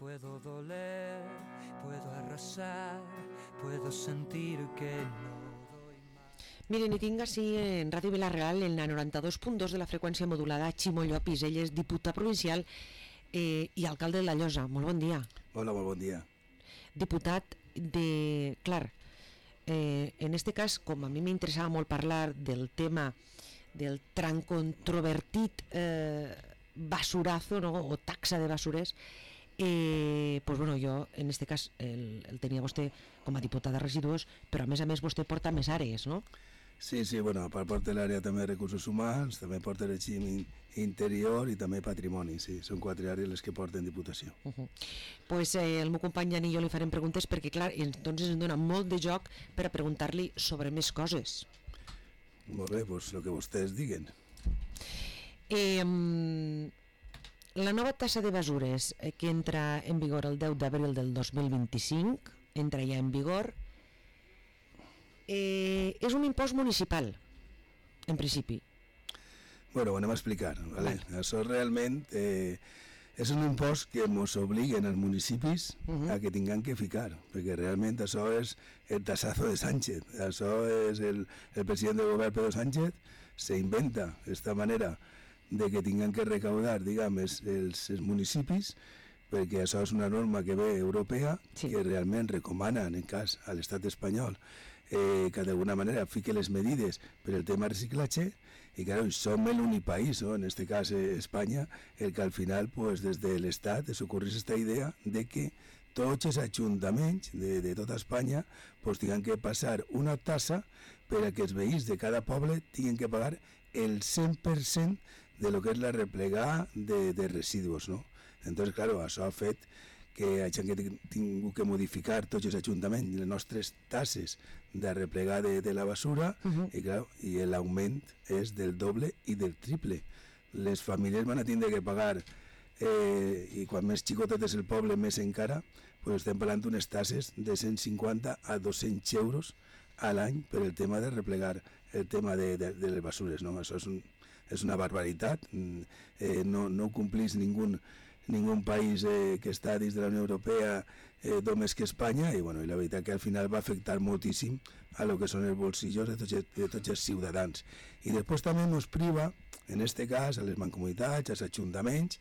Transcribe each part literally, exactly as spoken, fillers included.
Puedo doler, puedo arrasar, puedo sentir que no doy más. Miren, i tinc així en Ràdio Vila-real, en la noranta-dos punt dos de la freqüència modulada, Ximo Llopis. Ell és diputat provincial eh, i alcalde de la Llosa. Molt bon dia. Hola, molt bon dia. Diputat de... Clar, eh, en este cas, com a mi m'interessava molt parlar del tema del tan controvertit eh, basurazo, no?, o taxa de basures, Eh, pues bueno, jo en este cas el, el tenia vostè com a diputat de residus, però a més a més vostè porta més àrees, no? Sí, sí, bueno, a part porta l'àrea també de recursos humans, també porta el règim interior i també patrimoni, sí, són quatre àrees les que porten Diputació. Uh -huh. Pues eh, el meu company Jan i jo li farem preguntes perquè, clar, entonces ens dona molt de joc per a preguntar-li sobre més coses. Molt bé, doncs el que vostès diguen. Eh... La nova tassa de basures eh, que entra en vigor el deu d'abril del dos mil vint-i-cinc, entra ja en vigor, eh, és un impost municipal, en principi. Bueno, ho anem a explicar. Vale? Vale. Això realment eh, és un impost que ens obliguen als municipis uh -huh. a que tinguem que ficar, perquè realment això és el tassazo de Sánchez. Això és el, el president del govern, Pedro Sánchez, se inventa esta manera de que tinguem que recaudar, diguem, els, els, els municipis, perquè això és una norma que ve europea, sí, que realment recomana, en cas a l'estat espanyol, eh, que d'alguna manera fique les medides per el tema reciclatge, i claro, som l'únic país, no?, en este cas eh, Espanya, el que al final, pues, des de l'estat es ocorrís aquesta idea de que tots els ajuntaments de, de tota Espanya pues, tinguin que passar una tassa per a que els veïns de cada poble tinguin que pagar el cent per cent de lo que és la replegada de, de residus, no? Entonces, claro, això ha fet que hagin que tingut que modificar tots els ajuntaments les nostres tasses de replegar de, de la basura, uh -huh. i, claro, i l'augment és del doble i del triple. Les famílies van a tindre que pagar, eh, i quan més xicotet és el poble, més encara, pues estem parlant d'unes tasses de cent cinquanta a dos-cents euros a l'any per el tema de replegar el tema de, de, de les basures, no? Això és, un, és una barbaritat, eh, no, no ho complís ningú, ningú país eh, que està dins de la Unió Europea eh, només que Espanya, i, bueno, i la veritat que al final va afectar moltíssim a lo que són els bolsillos de tots, de tots els ciutadans. I després també ens priva, en este cas, a les mancomunitats, als ajuntaments,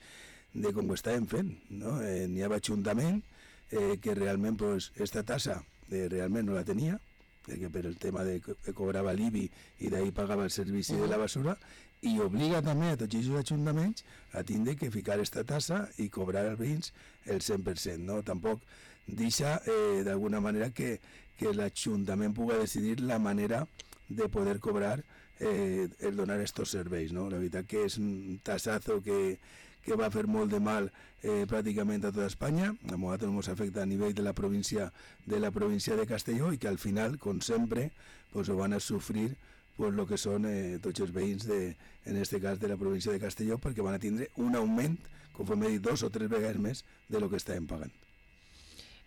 de com ho estàvem fent, no? Eh, n'hi havia ajuntament eh, que realment pues, esta tassa eh, realment no la tenia, que per el tema de que cobrava l'I B I i d'ahir pagava el servici de la basura, i obliga també a tots els ajuntaments a tindre que ficar aquesta tassa i cobrar als veïns el cent per cent, no? Tampoc deixa eh, d'alguna manera que, que l'Ajuntament pugui decidir la manera de poder cobrar eh, el donar estos serveis, no? La veritat que és un tassazo que, que va fer molt de mal eh, pràcticament a tota Espanya. A nosaltres ens afecta a nivell de la província de la província de Castelló, i que al final, com sempre, pues, ho van a sofrir pues, lo que són eh, tots els veïns de, en este cas de la província de Castelló, perquè van a tindre un augment, conforme he dit, dos o tres vegades més de lo que estàvem pagant.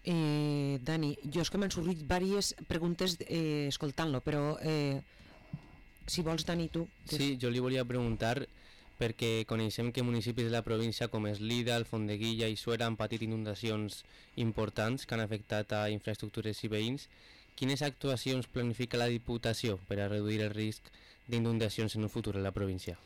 Eh, Dani, jo és que m'han sortit diverses preguntes eh, escoltant-lo, però eh, si vols, Dani, tu... Sí, jo li volia preguntar, perquè coneixem que municipis de la província com Eslida, Alfondeguilla i Suera han patit inundacions importants que han afectat a infraestructures i veïns. Quines actuacions planifica la Diputació per a reduir el risc d'inundacions en un futur en la província?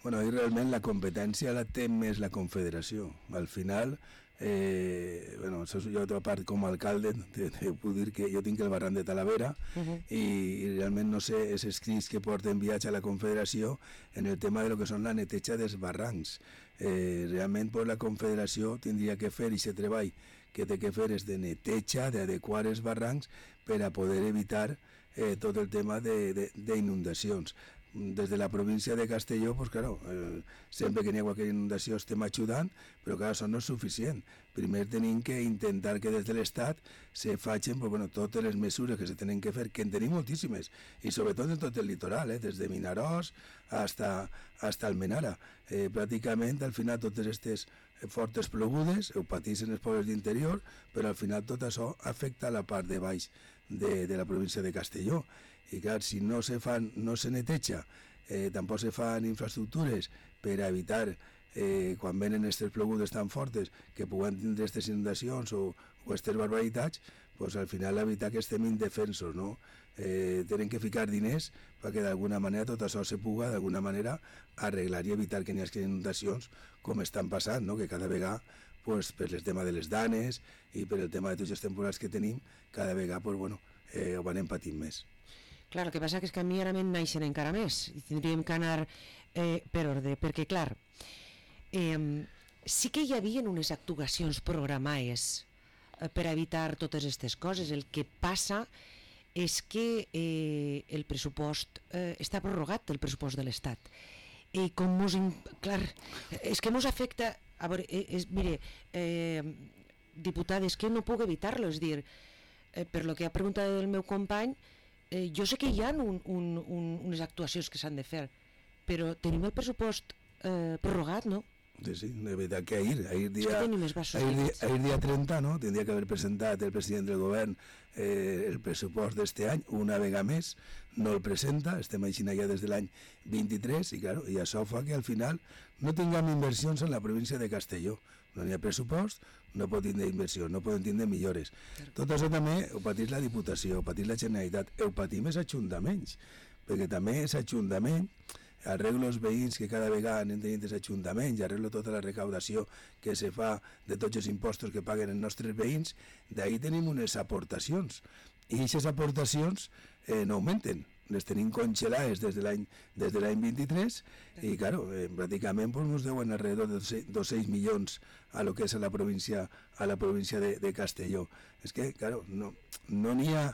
Bueno, i realment la competència la té més la Confederació. Al final, eh, bueno, jo a part com a alcalde te, te puc dir que jo tinc el barranc de Talavera, uh -huh. i, i realment no sé els escrits que porten viatge a la Confederació en el tema de lo que són la neteja dels barrancs. Eh, realment pues, la Confederació tindria que fer aquest treball que té que fer és de neteja, d'adequar els barrancs per a poder evitar eh, tot el tema d'inundacions. Des de la província de Castelló, pues claro, eh, sempre que n'hi ha qualque inundació estem ajudant, però clar, això no és suficient. Primer tenim que intentar que des de l'Estat se facin pues, bueno, totes les mesures que se tenen que fer, que en tenim moltíssimes, i sobretot en tot el litoral, eh, des de Vinaròs hasta, hasta Almenara. Eh, pràcticament, al final, totes aquestes fortes plogudes ho pateixen els pobles d'interior, però al final tot això afecta a la part de baix de, de la província de Castelló. I clar, si no se fan, no se neteja, eh, tampoc se fan infraestructures per a evitar eh, quan venen aquestes plogudes tan fortes que puguen tindre aquestes inundacions o, o aquestes barbaritats, pues al final evitar que estem indefensos, no? Eh, tenen que ficar diners perquè d'alguna manera tot això se puga d'alguna manera arreglar i evitar que n'hi hagi inundacions com estan passant, no? Que cada vegada, pues, per el tema de les danes i per el tema de tots els temporals que tenim, cada vegada pues, bueno, eh, ho anem patint més. Clar, el que passa és que a mi ara me'n naixen encara més i tindríem que anar eh, per ordre, perquè clar, eh, sí que hi havia unes actuacions programades eh, per evitar totes aquestes coses. El que passa és que eh, el pressupost eh, està prorrogat, el pressupost de l'Estat. I com mos... In... Clar, és que mos afecta... A veure, és, mire, eh, diputada, és que no puc evitar-lo, és dir, eh, per lo que ha preguntat el meu company, eh, jo sé que hi ha un, un, un, unes actuacions que s'han de fer, però tenim el pressupost eh, prorrogat, no? Sí, sí, de veritat que ahir, ahir dia, ahir dia, ahir dia trenta, no? Tindria que haver presentat el president del govern eh, el pressupost d'este any, una vegada més, no el presenta, estem així ja des de l'any vint-i-tres, i claro, i això fa que al final no tinguem inversions en la província de Castelló. No hi ha pressupost, no pot tindre inversió, no poden tindre millores. Tot això també ho patís la Diputació, ho patís la Generalitat, ho patim els ajuntaments, perquè també és ajuntament, arreglo els veïns que cada vegada anem tenint els ajuntaments, arreglo tota la recaudació que se fa de tots els impostos que paguen els nostres veïns, d'ahir tenim unes aportacions, i aquestes aportacions eh, no augmenten, les tenim congelades des de l'any des de l'any vint-i-tres, i claro, eh, pràcticament pues, ens deuen alrededor de dos-cents milions a lo que és a la província, a la província de, de Castelló. És que, claro, no no n'hi ha.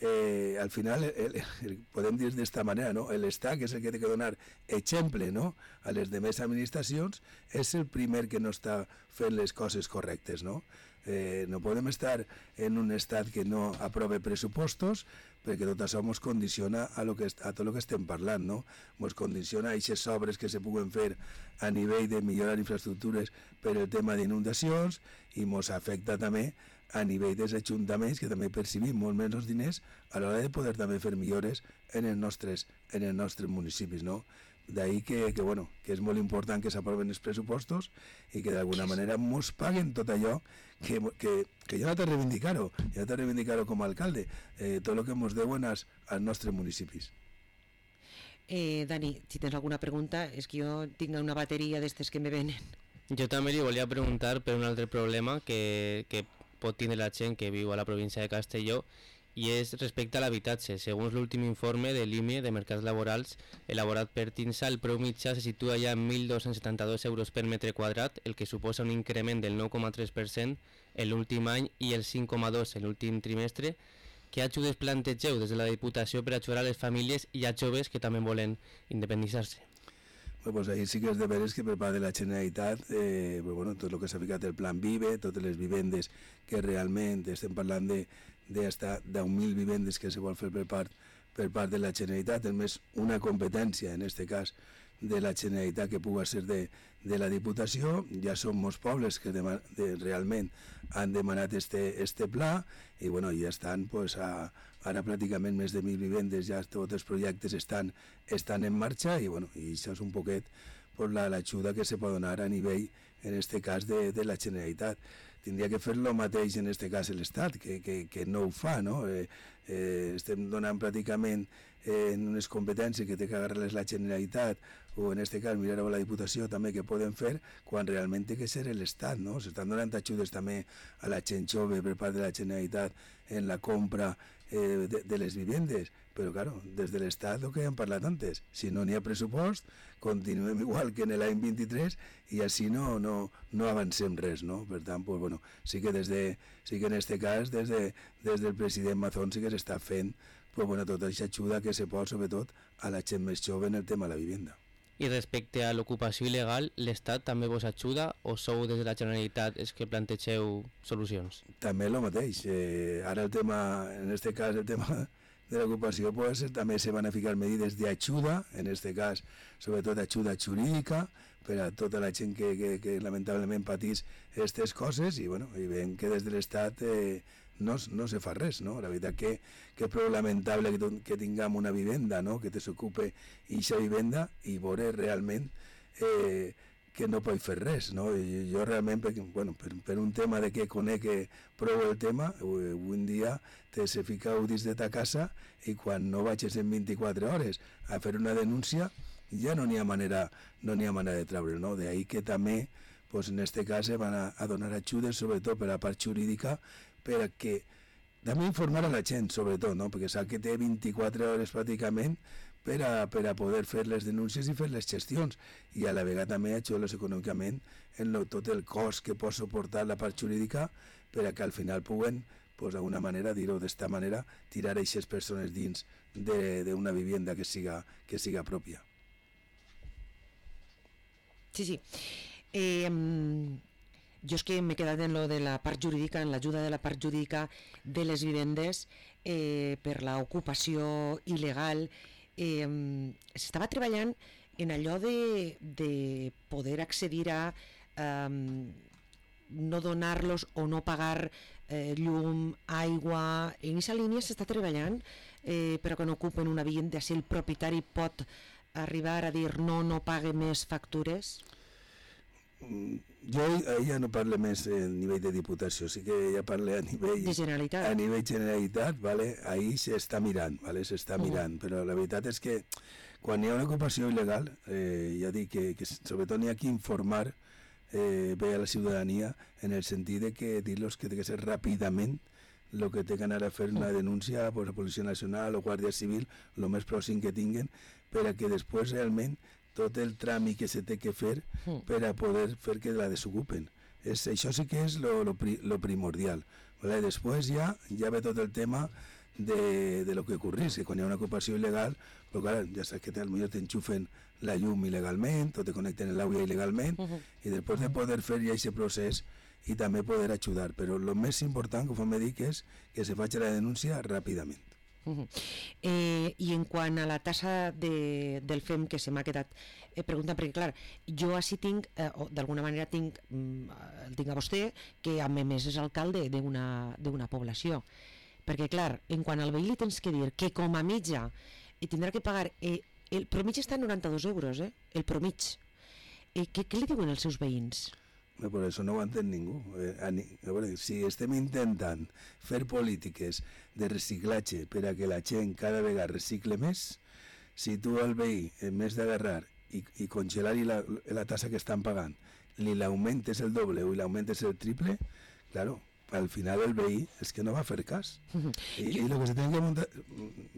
Eh, al final el, el, podem dir d'esta manera, no? L'Estat, que és el que té que donar exemple, no? A les demés administracions, és el primer que no està fent les coses correctes, no? Eh, no podem estar en un estat que no aprove pressupostos, perquè tot això ens condiciona a, lo que, a tot el que estem parlant, no? Ens condiciona a aquestes obres que se puguen fer a nivell de millorar infraestructures per el tema d'inundacions, i ens afecta també a nivell dels ajuntaments, que també percibim molt menys diners a l'hora de poder també fer millores en els nostres, en els nostres municipis, no? D'ahir que, que, bueno, que és molt important que s'aproven els pressupostos i que d'alguna manera ens paguen tot allò que, que, que jo no t'he reivindicar-ho, jo no t'he reivindicar-ho com a alcalde, eh, tot el que ens deuen als, als nostres municipis. Eh, Dani, si tens alguna pregunta, és que jo tinc una bateria d'estes que me venen. Jo també li volia preguntar per un altre problema que, que pot tindre la gent que viu a la província de Castelló, i és respecte a l'habitatge. Segons l'últim informe de l'I M E de Mercats Laborals elaborat per TINSA, el preu mitjà se situa ja en mil dos-cents setanta-dos euros per metre quadrat, el que suposa un increment del nou coma tres per cent en l'últim any i el cinc coma dos per cent en l'últim trimestre. Què ajudes plantegeu des de la Diputació per ajudar a les famílies i a joves que també volen independitzar-se? Bueno, pues ahí sí que és de veres que per part de la Generalitat, eh, pues bueno, tot el que s'ha ficat el Plan Vive, totes les vivendes que realment estem parlant de d'hasta deu mil vivendes que se vol fer per part, per part de la Generalitat, és més una competència, en aquest cas, de la Generalitat que pugui ser de, de la Diputació. Ja són molts pobles que de, de, realment han demanat este, este pla, i bueno, ja estan pues, a, ara pràcticament més de mil vivendes, ja tots els projectes estan, estan en marxa, i bueno, i això és un poquet pues, l'ajuda que se pot donar a nivell, en aquest cas, de, de la Generalitat. Tindria que fer el mateix en aquest cas l'Estat, que, que, que no ho fa, no? Eh, eh, estem donant pràcticament eh, en unes competències que té que agarrar-les la Generalitat, o en aquest cas mirar a la Diputació també que poden fer, quan realment té que ser l'Estat, no? S'estan donant ajudes també a la gent jove per part de la Generalitat en la compra eh, de, de les vivendes, però claro, des de l'Estat el que hem parlat antes, si no n'hi ha pressupost, continuem igual que en l'any vint-i-tres i així no, no, no avancem res, no? Per tant, pues, bueno, sí que des de, sí que en aquest cas, des, de, des del president Mazón sí que s'està fent pues, bueno, tota aquesta ajuda que se pot, sobretot, a la gent més jove en el tema de la vivenda. I respecte a l'ocupació il·legal, l'Estat també vos ajuda o sou des de la Generalitat és que plantegeu solucions? També el mateix. Eh, ara el tema, en aquest cas, el tema de l'ocupació, pues, també se van a ficar medides d'ajuda, en aquest cas, sobretot ajuda jurídica, per a tota la gent que, que, que lamentablement patís aquestes coses, i, bueno, i veiem que des de l'Estat eh, no, no se fa res, no? La veritat que, que és prou lamentable que, que tinguem una vivenda, no? Que te s'ocupe aquesta vivenda i veure realment eh, que no pot fer res, no? I jo realment, per, bueno, per, per un tema de que conec prou el tema, avui en dia te se ficau dins de ta casa i quan no vagis en vint-i-quatre hores a fer una denúncia ja no n'hi ha manera, no n'hi ha manera de treure, no? De ahí que també, pues, en este cas se van a, a donar ajudes, sobretot per la part jurídica, per a que també informar a la gent, sobretot, no? Perquè sap que té vint-i-quatre hores pràcticament per a, per a poder fer les denúncies i fer les gestions, i a la vegada també ajudar-los econòmicament en lo, tot el cost que pot suportar la part jurídica per a que al final puguen, pues, d'alguna manera, dir-ho d'esta manera, tirar aquestes persones dins d'una vivienda que siga, que siga pròpia. Sí, sí. Eh, jo és que m'he quedat en lo de la part jurídica, en l'ajuda de la part jurídica de les vivendes eh, per l'ocupació il·legal. Eh, s'estava treballant en allò de, de poder accedir a eh, no donar-los o no pagar eh, llum, aigua. En aquesta línia s'està treballant eh, però que no ocupen una vivienda, si el propietari pot arribar a dir no, no pague més factures? Jo ja no parlo més a nivell de diputació, sí que ja parlo a nivell de Generalitat. A nivell Generalitat, vale? Ahí s'està mirant, vale? s'està uh-huh. mirant, però la veritat és que quan hi ha una ocupació il·legal, eh, ja dic que, que sobretot n'hi ha que informar eh, bé a la ciutadania en el sentit de que dir-los que té que ser ràpidament el que té que anar a fer una denúncia pues, a Policia Nacional o Guàrdia Civil, el més pròxim que tinguen, per a que després realment tot el tràmit que se té que fer per a poder fer que la desocupen. És, això sí que és lo, lo, pri, lo primordial. Vale? Després ja, ja ve tot el tema de, de lo que ocorrís, que quan hi ha una ocupació il·legal, però clar, ja saps que potser t'enxufen la llum il·legalment o te connecten l'aigua il·legalment, uh -huh. i després de poder fer ja aquest procés i també poder ajudar. Però el més important, com me dic, és que se faci la denúncia ràpidament. Uh -huh. eh, I en quant a la tassa de, del F E M, que se m'ha quedat eh, preguntant, perquè clar, jo així tinc, eh, o d'alguna manera tinc, mm, el tinc a vostè, que a més és alcalde d'una població, perquè clar, en quant al veí li tens que dir que com a mitja eh, tindrà que pagar, eh, el promig està a noranta-dos euros, eh, el promig. Eh, què, què li diuen els seus veïns? No, per això no ho entén ningú. Eh, a, a veure, si estem intentant fer polítiques de reciclatge per a que la gent cada vegada recicle més, si tu al veí, en més d'agarrar i, i congelar-hi la, la tassa que estan pagant, li l'augmentes el doble o l'augmentes el triple, claro, al final el veí és que no va fer cas. I, i el que se tenen que, muntar,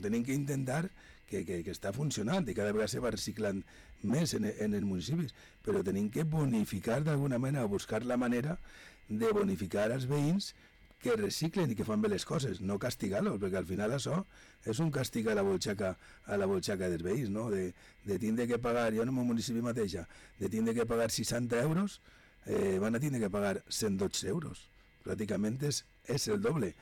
tenen que intentar que, que, que està funcionant i cada vegada se va reciclant més en, en els municipis, però tenim que bonificar d'alguna manera, buscar la manera de bonificar els veïns que reciclen i que fan bé les coses, no castigar-los, perquè al final això és un càstig a la bolxaca, a la bolxaca dels veïns, no? De, de tindre que pagar, jo en el meu municipi mateixa, de tindre que pagar seixanta euros, eh, van a tindre que pagar cent dotze euros. Pràcticament és, és el doble.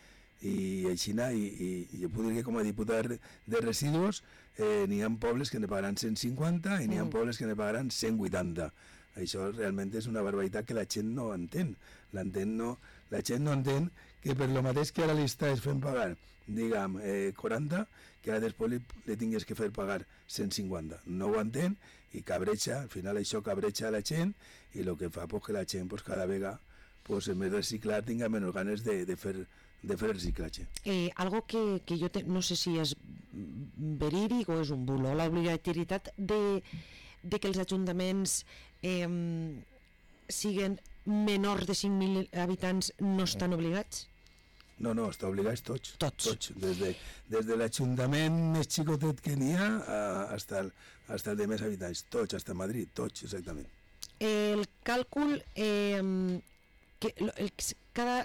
I així, i, i, i jo puc dir que com a diputat de residus eh, n'hi ha pobles que ne pagaran cent cinquanta i n'hi ha pobles que ne pagaran cent vuitanta. Això realment és una barbaritat que la gent no entén. L'entén no, la gent no entén que per lo mateix que ara li estàs fent pagar, diguem, eh, quaranta, que ara després li, li tingués que fer pagar cent cinquanta. No ho entén i cabreja, al final això cabreja a la gent i el que fa pues, que la gent pues, cada vegada pues, en vez de reciclar tinga menys ganes de, de fer de fer el reciclatge. Eh, algo que, que jo te, no sé si és verídic o és un bulo, l'obligatorietat de, de que els ajuntaments eh, siguen menors de cinc mil habitants no estan obligats? No, no, està obligats tots. Tots. tots. Des de, des de l'Ajuntament més xicotet que n'hi ha fins al, el de més habitants. Tots, fins a Madrid, tots, exactament. El càlcul, eh, que, el, cada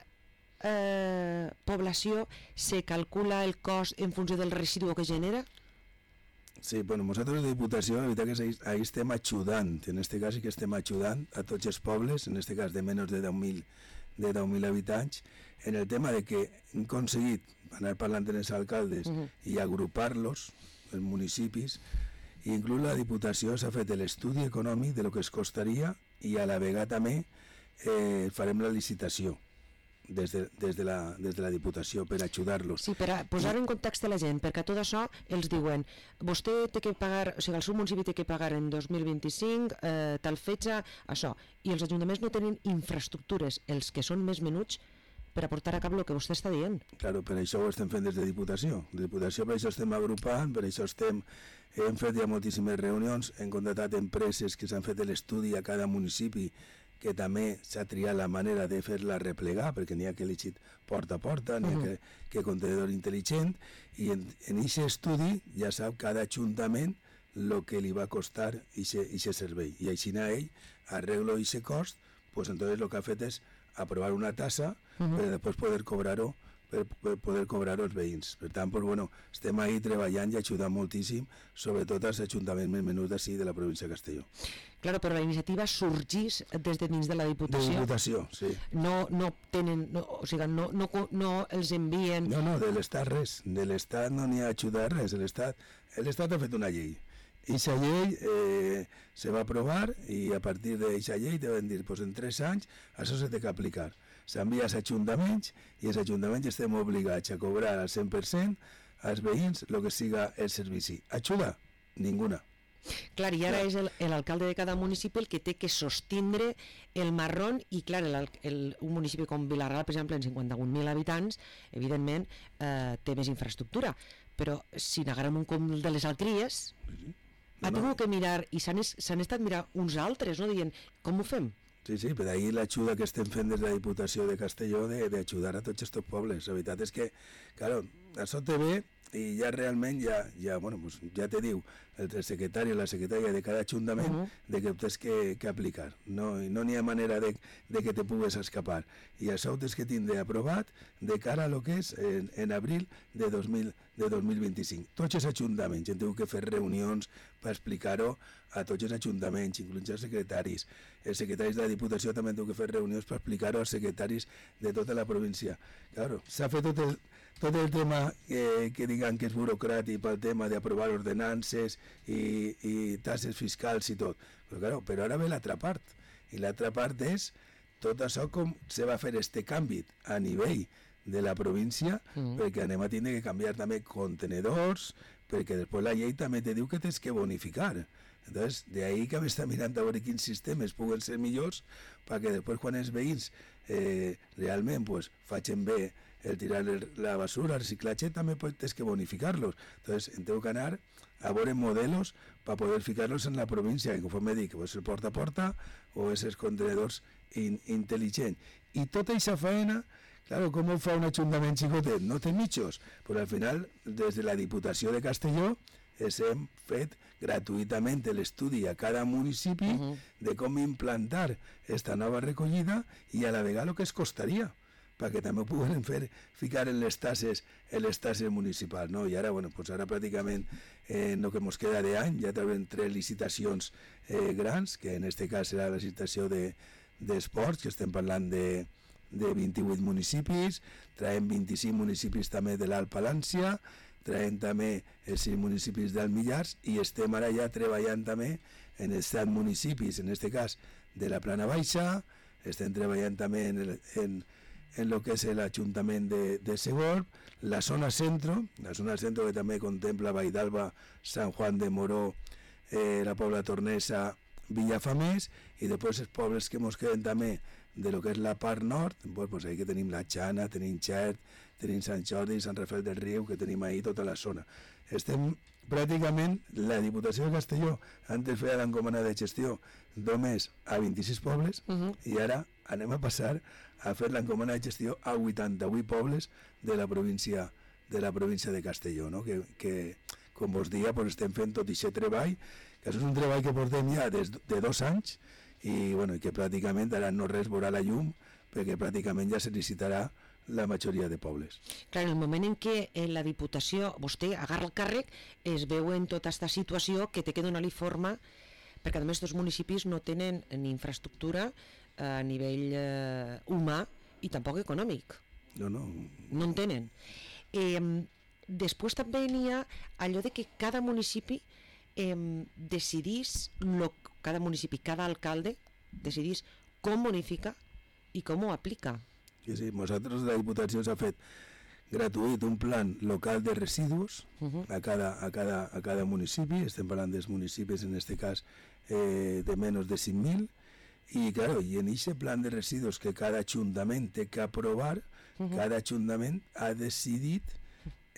eh, població se calcula el cost en funció del residu que genera? Sí, bueno, nosaltres de Diputació, la veritat que ahí estem ajudant, en este cas sí que estem ajudant a tots els pobles, en este cas de menys de deu mil de deu mil habitants, en el tema de que hem aconseguit anar parlant amb els alcaldes uh-huh. i agrupar-los, els municipis, i inclús la Diputació s'ha fet l'estudi econòmic de lo que es costaria i a la vegada també eh, farem la licitació. des de, des de, la, des de la Diputació per ajudar-los. Sí, per a posar en context la gent, perquè a tot això els diuen vostè té que pagar, o sigui, el seu municipi té que pagar en dos mil vint-i-cinc eh, tal fetge, això, i els ajuntaments no tenen infraestructures, els que són més menuts, per a portar a cap el que vostè està dient. Claro, per això ho estem fent des de Diputació. De Diputació per això estem agrupant, per això estem, hem fet ja moltíssimes reunions, hem contractat empreses que s'han fet l'estudi a cada municipi, que també s'ha triat la manera de fer-la replegar, perquè n'hi ha que elegit porta a porta, n'hi ha que, que contenedor intel·ligent, i en aquest estudi ja sap cada ajuntament el que li va costar aquest servei. I així ell arreglo aquest cost, pues entonces lo que ha fet és aprovar una tassa uh -huh. per després poder cobrar-ho per, per poder cobrar els veïns. Per tant, pues, bueno, estem ahí treballant i ajudant moltíssim, sobretot als ajuntaments més menuts d'ací de la província de Castelló. Claro, però la iniciativa sorgís des de dins de la Diputació. De Diputació, sí. No, no tenen, no, o sigui, no, no, no els envien... No, no, de l'Estat res, de l'Estat no n'hi ha ajudat res, l'Estat l'Estat ha fet una llei. Eixa llei eh, se va aprovar i a partir d'eixa llei te van dir pues en tres anys això se té que aplicar. S'envia als ajuntaments i els ajuntaments estem obligats a cobrar al cent per cent als veïns el que siga el servici. Ajuda? Ninguna. Clar, i ara és el, l'alcalde de cada municipi el que té que sostindre el marrón i clar, el, el, un municipi com Vilarral, per exemple, en cinquanta-un mil habitants, evidentment eh, té més infraestructura, però si n'agarrem un com el de les Alcries, sí. Ha tingut que mirar, i s'han estat mirant uns altres, no? Dient, com ho fem? Sí, sí, per ahí l'ajuda que estem fent des de la Diputació de Castelló d'ajudar a tots aquests pobles. La veritat és que, claro, això te ve i ja realment ja, ja, bueno, pues ja te diu el secretari o la secretària de cada ajuntament uh -huh. de que ho tens que, que aplicar. No no n'hi ha manera de, de que te pugues escapar. I això ho tens que tindre aprovat de cara a lo que és en, en abril de, dos mil, de dos mil vint-i-cinc. Tots els ajuntaments hem tingut que fer reunions per explicar-ho a tots els ajuntaments, inclús els secretaris. Els secretaris de la Diputació també han tingut que fer reunions per explicar-ho als secretaris de tota la província. Claro, s'ha fet tot el tot el tema eh, que digan que és burocràtic pel tema d'aprovar ordenances i, i tasses fiscals i tot. Però, claro, però ara ve l'altra part. I l'altra part és tot això com se va fer este canvi a nivell de la província, mm. perquè anem a tindre que canviar també contenedors, perquè després la llei també te diu que tens que bonificar. Entonces, de ahí que m'està mirant a veure quins sistemes puguen ser millors perquè després quan els veïns eh, realment pues, facin bé el tirar la basura, el reciclatge, també tens que bonificar-los. Entonces, en tengo que anar a veure modelos per poder ficar-los en la província, que conforme dic, o és el porta a porta o és els contenedors in, intel·ligents. I tota aquesta feina, claro, com ho fa un ajuntament xicotet? No té mitjos, però al final, des de la Diputació de Castelló, hem fet gratuïtament l'estudi a cada municipi uh -huh. de com implantar esta nova recollida i a la vegada el que es costaria, perquè també ho puguem fer, ficar en les tasses, en les tasses municipals, no? I ara, bueno, pues ara pràcticament eh, en el que ens queda d'any ja traurem tres licitacions eh, grans, que en aquest cas serà la licitació d'esports, de, que estem parlant de, de vint-i-vuit municipis, traiem vint-i-cinc municipis també de l'Alt Palància, traiem també els cinc municipis del Millars i estem ara ja treballant també en els set municipis, en aquest cas de la Plana Baixa, estem treballant també en el, en, en lo que és l'Ajuntament de, de Segorb, la zona centro, la zona centro que també contempla Vaidalba, Sant Juan de Moró, eh, la Pobla Tornesa, Villafamés, i després els pobles que ens queden també de lo que és la part nord, pues, pues ahí que tenim la Xana, tenim Xert, tenim Sant Jordi, Sant Rafael del Riu, que tenim ahí tota la zona. Estem pràcticament, la Diputació de Castelló antes feia l'encomana de gestió només a vint-i-sis pobles uh -huh. i ara anem a passar a fer l'encomana de gestió a vuitanta-vuit pobles de la província de la província de Castelló, no? que, que com vos dia pues, estem fent tot aquest treball, que és un treball que portem ja des de dos anys i bueno, que pràcticament ara no res veurà la llum perquè pràcticament ja se licitarà la majoria de pobles. Clar, en el moment en què en la Diputació vostè agarra el càrrec es veu en tota aquesta situació que té que donar-li forma, perquè a més els municipis no tenen ni infraestructura a nivell eh, humà i tampoc econòmic. No, no. No en tenen. Eh, després també n'hi ha allò de que cada municipi eh, decidís, lo, cada municipi, cada alcalde decidís com bonifica i com ho aplica. Sí, sí, nosaltres la Diputació s'ha fet gratuït un plan local de residus uh-huh. a, cada, a, cada, a cada municipi, estem parlant dels municipis en aquest cas eh, de menys de cinc mil, i claro, i en aquest plan de residus que cada ajuntament té que aprovar, uh-huh. cada ajuntament ha decidit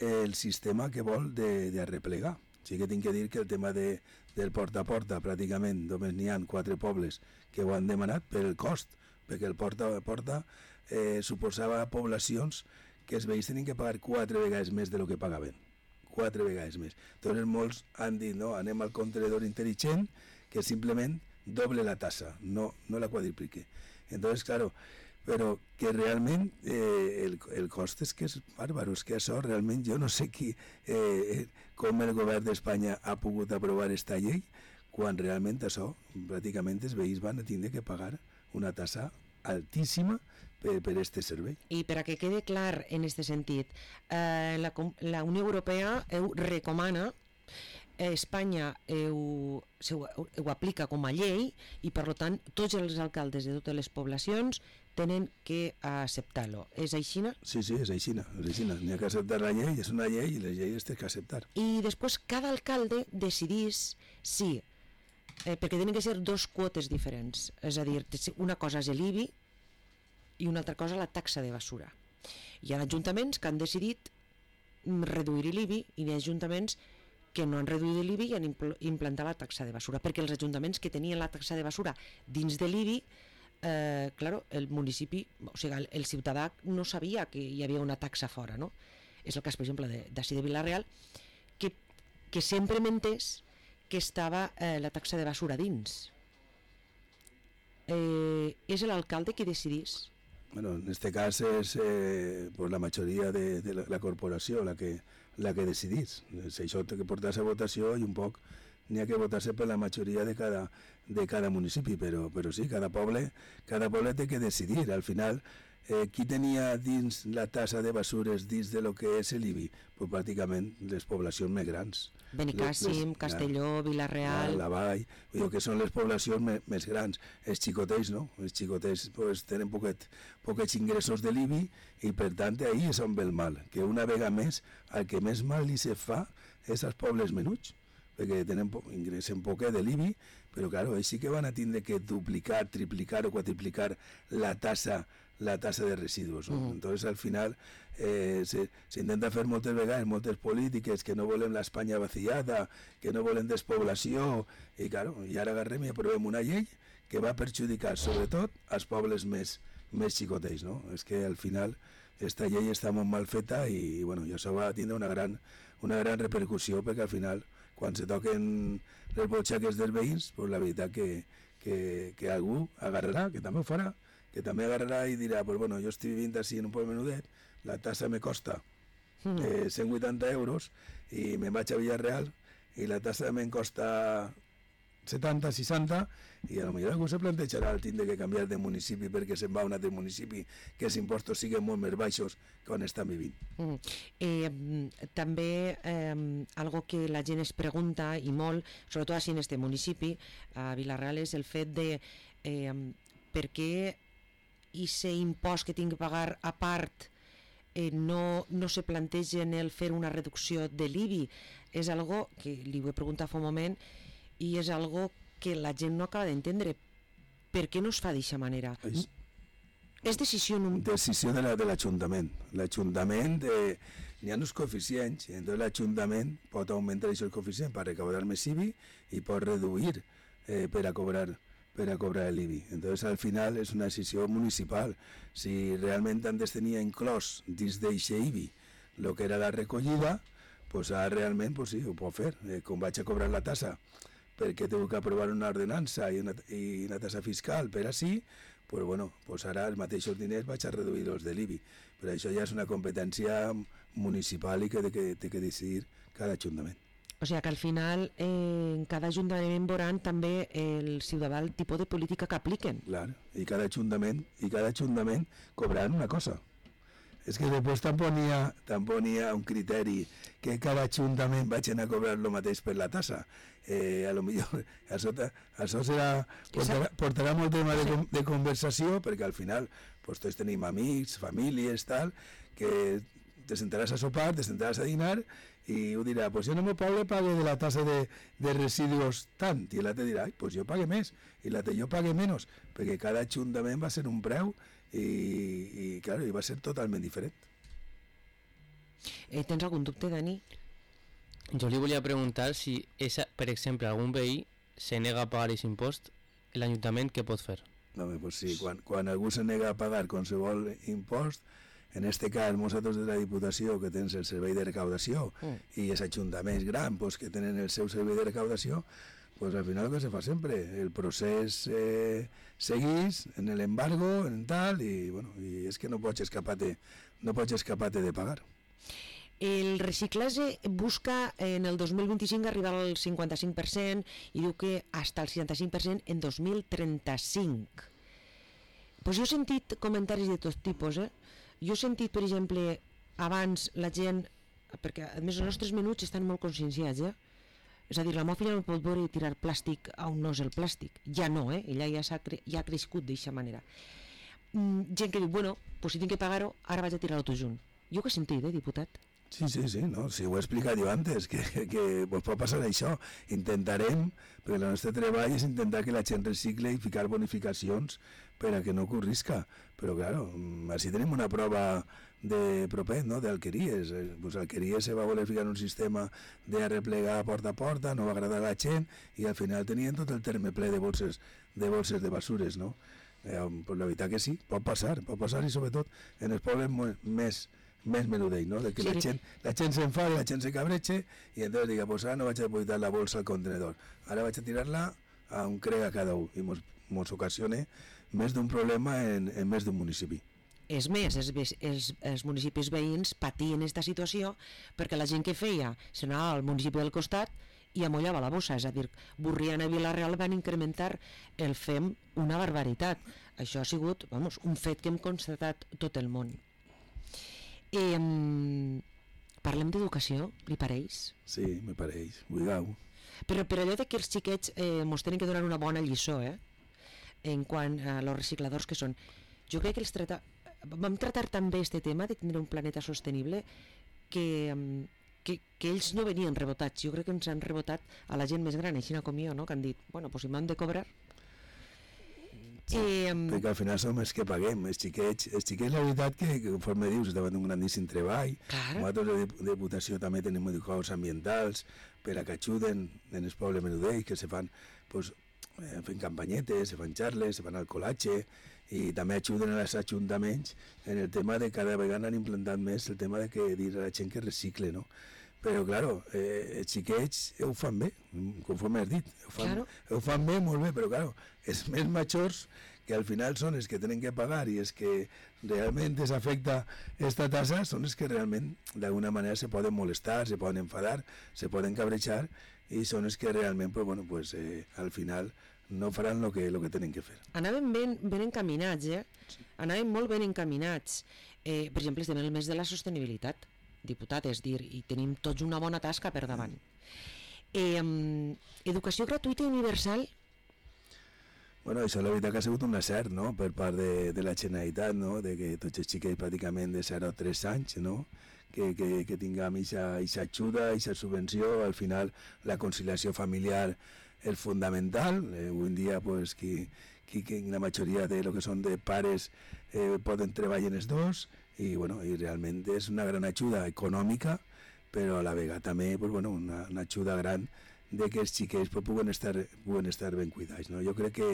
el sistema que vol de, de arreplegar. Sí que tinc que dir que el tema de, del porta a porta, pràcticament només n'hi ha quatre pobles que ho han demanat per el cost, perquè el porta a porta eh, suposava poblacions que els veïns tenien que pagar quatre vegades més de lo que pagaven. Quatre vegades més. Entonces molts han dit, no, anem al contenedor intel·ligent que simplement doble la tassa, no, no la quadriplique. Entonces, claro, però que realment eh, el, el cost és que és bàrbaro, és que això realment jo no sé qui, eh, com el govern d'Espanya ha pogut aprovar esta llei, quan realment això, pràcticament els veïns van tindre que pagar una tassa altíssima per, per este servei. I per a que quede clar en aquest sentit, eh, la, la Unió Europea ho recomana, eh, Espanya ho, ho, ho aplica com a llei i per tant tots els alcaldes de totes les poblacions tenen que acceptar-lo. És aixina? Sí, sí, és aixina. És aixina. N'hi ha que acceptar la llei, és una llei i les lleis té que acceptar. I després cada alcalde decidís si, eh, perquè tenen que ser dos quotes diferents, és a dir, una cosa és l'I B I i una altra cosa la taxa de basura. Hi ha ajuntaments que han decidit reduir l'I B I i hi ha ajuntaments que no han reduït l'I B I i han impl implantat la taxa de basura, perquè els ajuntaments que tenien la taxa de basura dins de l'I B I, eh, claro, el municipi, o sigui, el, el ciutadà no sabia que hi havia una taxa fora, no? És el cas, per exemple, d'ací de, de Vila-real, que, que sempre mentés que estava eh, la taxa de basura dins. Eh, és l'alcalde qui decidís. Bueno, en este cas és eh, pues la majoria de, de la, la corporació la que, la que decidís. Això té que portar-se a votació i un poc n'hi ha que votar-se per la majoria de cada, de cada municipi, però, però sí, cada poble, cada poble té que decidir. Al final, eh, qui tenia dins la tassa de basures dins de lo que és l'I B I? Pues pràcticament les poblacions més grans. Benicàssim, Castelló, Vila-real... La Vall, vull dir que són les poblacions més, més grans. Els xicotells, no? Els xicotells pues, tenen poquet, poquets ingressos de l'I B I i per tant ahí és on ve el mal, que una vegada més el que més mal li se fa és als pobles menuts, perquè tenen po ingressen poquet de l'I B I, però claro, ells sí que van a tindre que duplicar, triplicar o quadriplicar la tassa la tassa de residus. ¿no? Uh-huh. Entonces, al final, eh, s'intenta fer moltes vegades, moltes polítiques que no volem l'Espanya vaciada, que no volem despoblació, i, claro, i ara agarrem i aprovem una llei que va perjudicar, sobretot, als pobles més, més xicotells. No? És que, al final, esta llei està molt mal feta i, bueno, i això va tindre una gran, una gran repercussió, perquè, al final, quan se toquen les butxaques dels veïns, pues, la veritat que, que, que algú agarrarà, que també ho farà, que també agarrarà i dirà, pues bueno, jo estic vivint així en un poble menudet, la tassa me costa eh, cent vuitanta euros i me'n vaig a Villarreal i la tassa me'n costa setanta, seixanta i a lo millor algú se plantejarà el tindre que canviar de municipi perquè se'n va a un altre municipi que els impostos siguin molt més baixos que on estan vivint. Mm. Eh, també eh, algo que la gent es pregunta i molt, sobretot així en este municipi, a Vila-real, és el fet de eh, per què i aquest impost que tinc que pagar a part eh, no, no se plantegen el fer una reducció de l'I B I. És algo que li ho he preguntat fa un moment i és algo que la gent no acaba d'entendre. Per què no es fa d'aquesta manera? És, és decisió... No... Decisió de l'Ajuntament. La, L'Ajuntament, eh, n'hi ha uns coeficients, i entonces l'Ajuntament pot augmentar aquests coeficients per recaudar més I B I i pot reduir eh, per a cobrar per a cobrar l'I B I. Entonces, al final, és una decisió municipal. Si realment antes tenia inclòs dins d'aquest I B I el que era la recollida, pues ara realment pues sí, ho pot fer. Eh, com vaig a cobrar la tassa perquè tengo que aprovar una ordenança i una, i una tassa fiscal per així, pues bueno, pues ara els mateixos diners vaig a reduir els de l'I B I. Però això ja és una competència municipal i que té que, té que decidir cada ajuntament. O sigui que al final eh, en cada ajuntament veuran també el ciutadà el tipus de política que apliquen. Clar, i cada ajuntament, i cada ajuntament cobraran una cosa. És que després tampoc n'hi ha, tampoc n'hi ha un criteri que cada ajuntament vagin a cobrar el mateix per la tassa. Eh, a lo millor això, això serà, portarà, portarà molt tema de, de conversació perquè al final pues tots tenim amics, famílies, tal, que te sentaràs a sopar, te sentaràs a dinar i ho dirà, pues jo no me pague, pague de la tasa de, de residuos tant, i l'altre dirà, ai, pues jo pague més, i l'altre jo pague menys, perquè cada ajuntament va ser un preu i, i claro, i va ser totalment diferent. Eh, tens algun dubte, Dani? Jo li volia preguntar si, esa, per exemple, algun veí se nega a pagar aquest impost, l'Ajuntament què pot fer? No, pues sí, quan, quan algú se nega a pagar qualsevol impost, en este cas, nosaltres de la Diputació, que tens el servei de recaudació, mm. i els ajuntaments grans pues, que tenen el seu servei de recaudació, pues al final el que se fa sempre, el procés eh, seguís en l'embargo, en tal, i, bueno, i és que no pots escapar-te no pots escapar-te de pagar. El reciclatge busca en el dos mil vint-i-cinc arribar al cinquanta-cinc per cent i diu que hasta el seixanta-cinc per cent en dos mil trenta-cinc. Pues jo he sentit comentaris de tot tipus, eh? Jo he sentit, per exemple, abans la gent, perquè a més els nostres menuts estan molt conscienciats, eh? És a dir, la meva filla no pot veure tirar plàstic a on no és el plàstic. Ja no, eh? Ella ja, ha, cre ja ha crescut d'aquesta manera. Mm, gent que diu, bueno, pues si tinc que pagar-ho, ara vaig a tirar-ho tot junt. Jo que he sentit, eh, diputat? Sí, sí, sí, no, si ho he explicat jo antes, que, que pues pot passar això. Intentarem, perquè el nostre treball és intentar que la gent recicle i ficar bonificacions per a que no ocorrisca. Però, claro, així tenim una prova de propet, no?, d'Alqueries. Pues Alqueries se va voler ficar un sistema de replegar porta a porta, no va agradar a la gent, i al final tenien tot el terme ple de bolses de, bolses de basures, no? Eh, pues la veritat que sí, pot passar, pot passar, i sobretot en els pobles més més menudell, no? De que sí. la gent, la gent s'enfada, la gent se cabreche i entonces diga, pues ara no vaig a depositar la bolsa al contenedor, ara vaig a tirar-la a un crec a cada un, i mos, mos ocasiona més d'un problema en, en més d'un municipi. És més, els, els, els municipis veïns patien aquesta situació perquè la gent que feia s'anava al municipi del costat i amollava la bossa, és a dir, Borriana i Vila-real van incrementar el F E M una barbaritat. Això ha sigut, vamos, un fet que hem constatat tot el món. Eh, parlem d'educació, li pareix? Sí, me pareix, oblidau. Però per allò de que els xiquets eh, mos tenen que donar una bona lliçó, eh? En quant a los recicladors que són. Jo crec que els trata... vam tratar també este tema de tenir un planeta sostenible que, que, que ells no venien rebotats. Jo crec que ens han rebotat a la gent més gran, així com jo, no? Que han dit, bueno, pues si m'han de cobrar... Sí, eh, perquè al final som els que paguem, els xiquets, els xiquets la veritat que, que conforme dius, estaven un grandíssim treball. Claro. Nosaltres de Diputació també tenim educadors ambientals per a que ajuden en els pobles menudells, que se fan, pues, eh, fent campanyetes, se fan xarles, se fan alcoholatge, i també ajuden als ajuntaments en el tema de cada vegada han implantat més el tema de que dir a la gent que recicle, no? Però, claro, eh, els xiquets ho fan bé, conforme has dit, ho fan, claro. ho fan bé, molt bé, però, claro, els més majors, que al final són els que tenen que pagar i els que realment els afecta aquesta tassa, són els que realment, d'alguna manera, se poden molestar, se poden enfadar, se poden cabrejar, i són els que realment, pues, bueno, pues, eh, al final, no faran el que, lo que tenen que fer. Anàvem ben, ben encaminats, eh? Sí. Anàvem molt ben encaminats. Eh, per exemple, estem en el mes de la sostenibilitat, diputat, és dir, i tenim tots una bona tasca per davant. Eh, educació gratuïta i universal? Bueno, això la veritat que ha sigut un acert, no?, per part de, de la Generalitat, no?, de que tots els xiquets pràcticament de zero a tres anys, no?, que, que, que tinguem aquesta ajuda, aquesta subvenció. Al final la conciliació familiar és fundamental. Eh, avui en dia, pues, qui, qui, qui, la majoria de lo que són de pares eh, poden treballar els dos, i, bueno, i realment és una gran ajuda econòmica, però a la vegada també, pues, bueno, una, una ajuda gran de que els xiquets pues, puguen, estar, puguen estar ben cuidats, no? Jo crec que,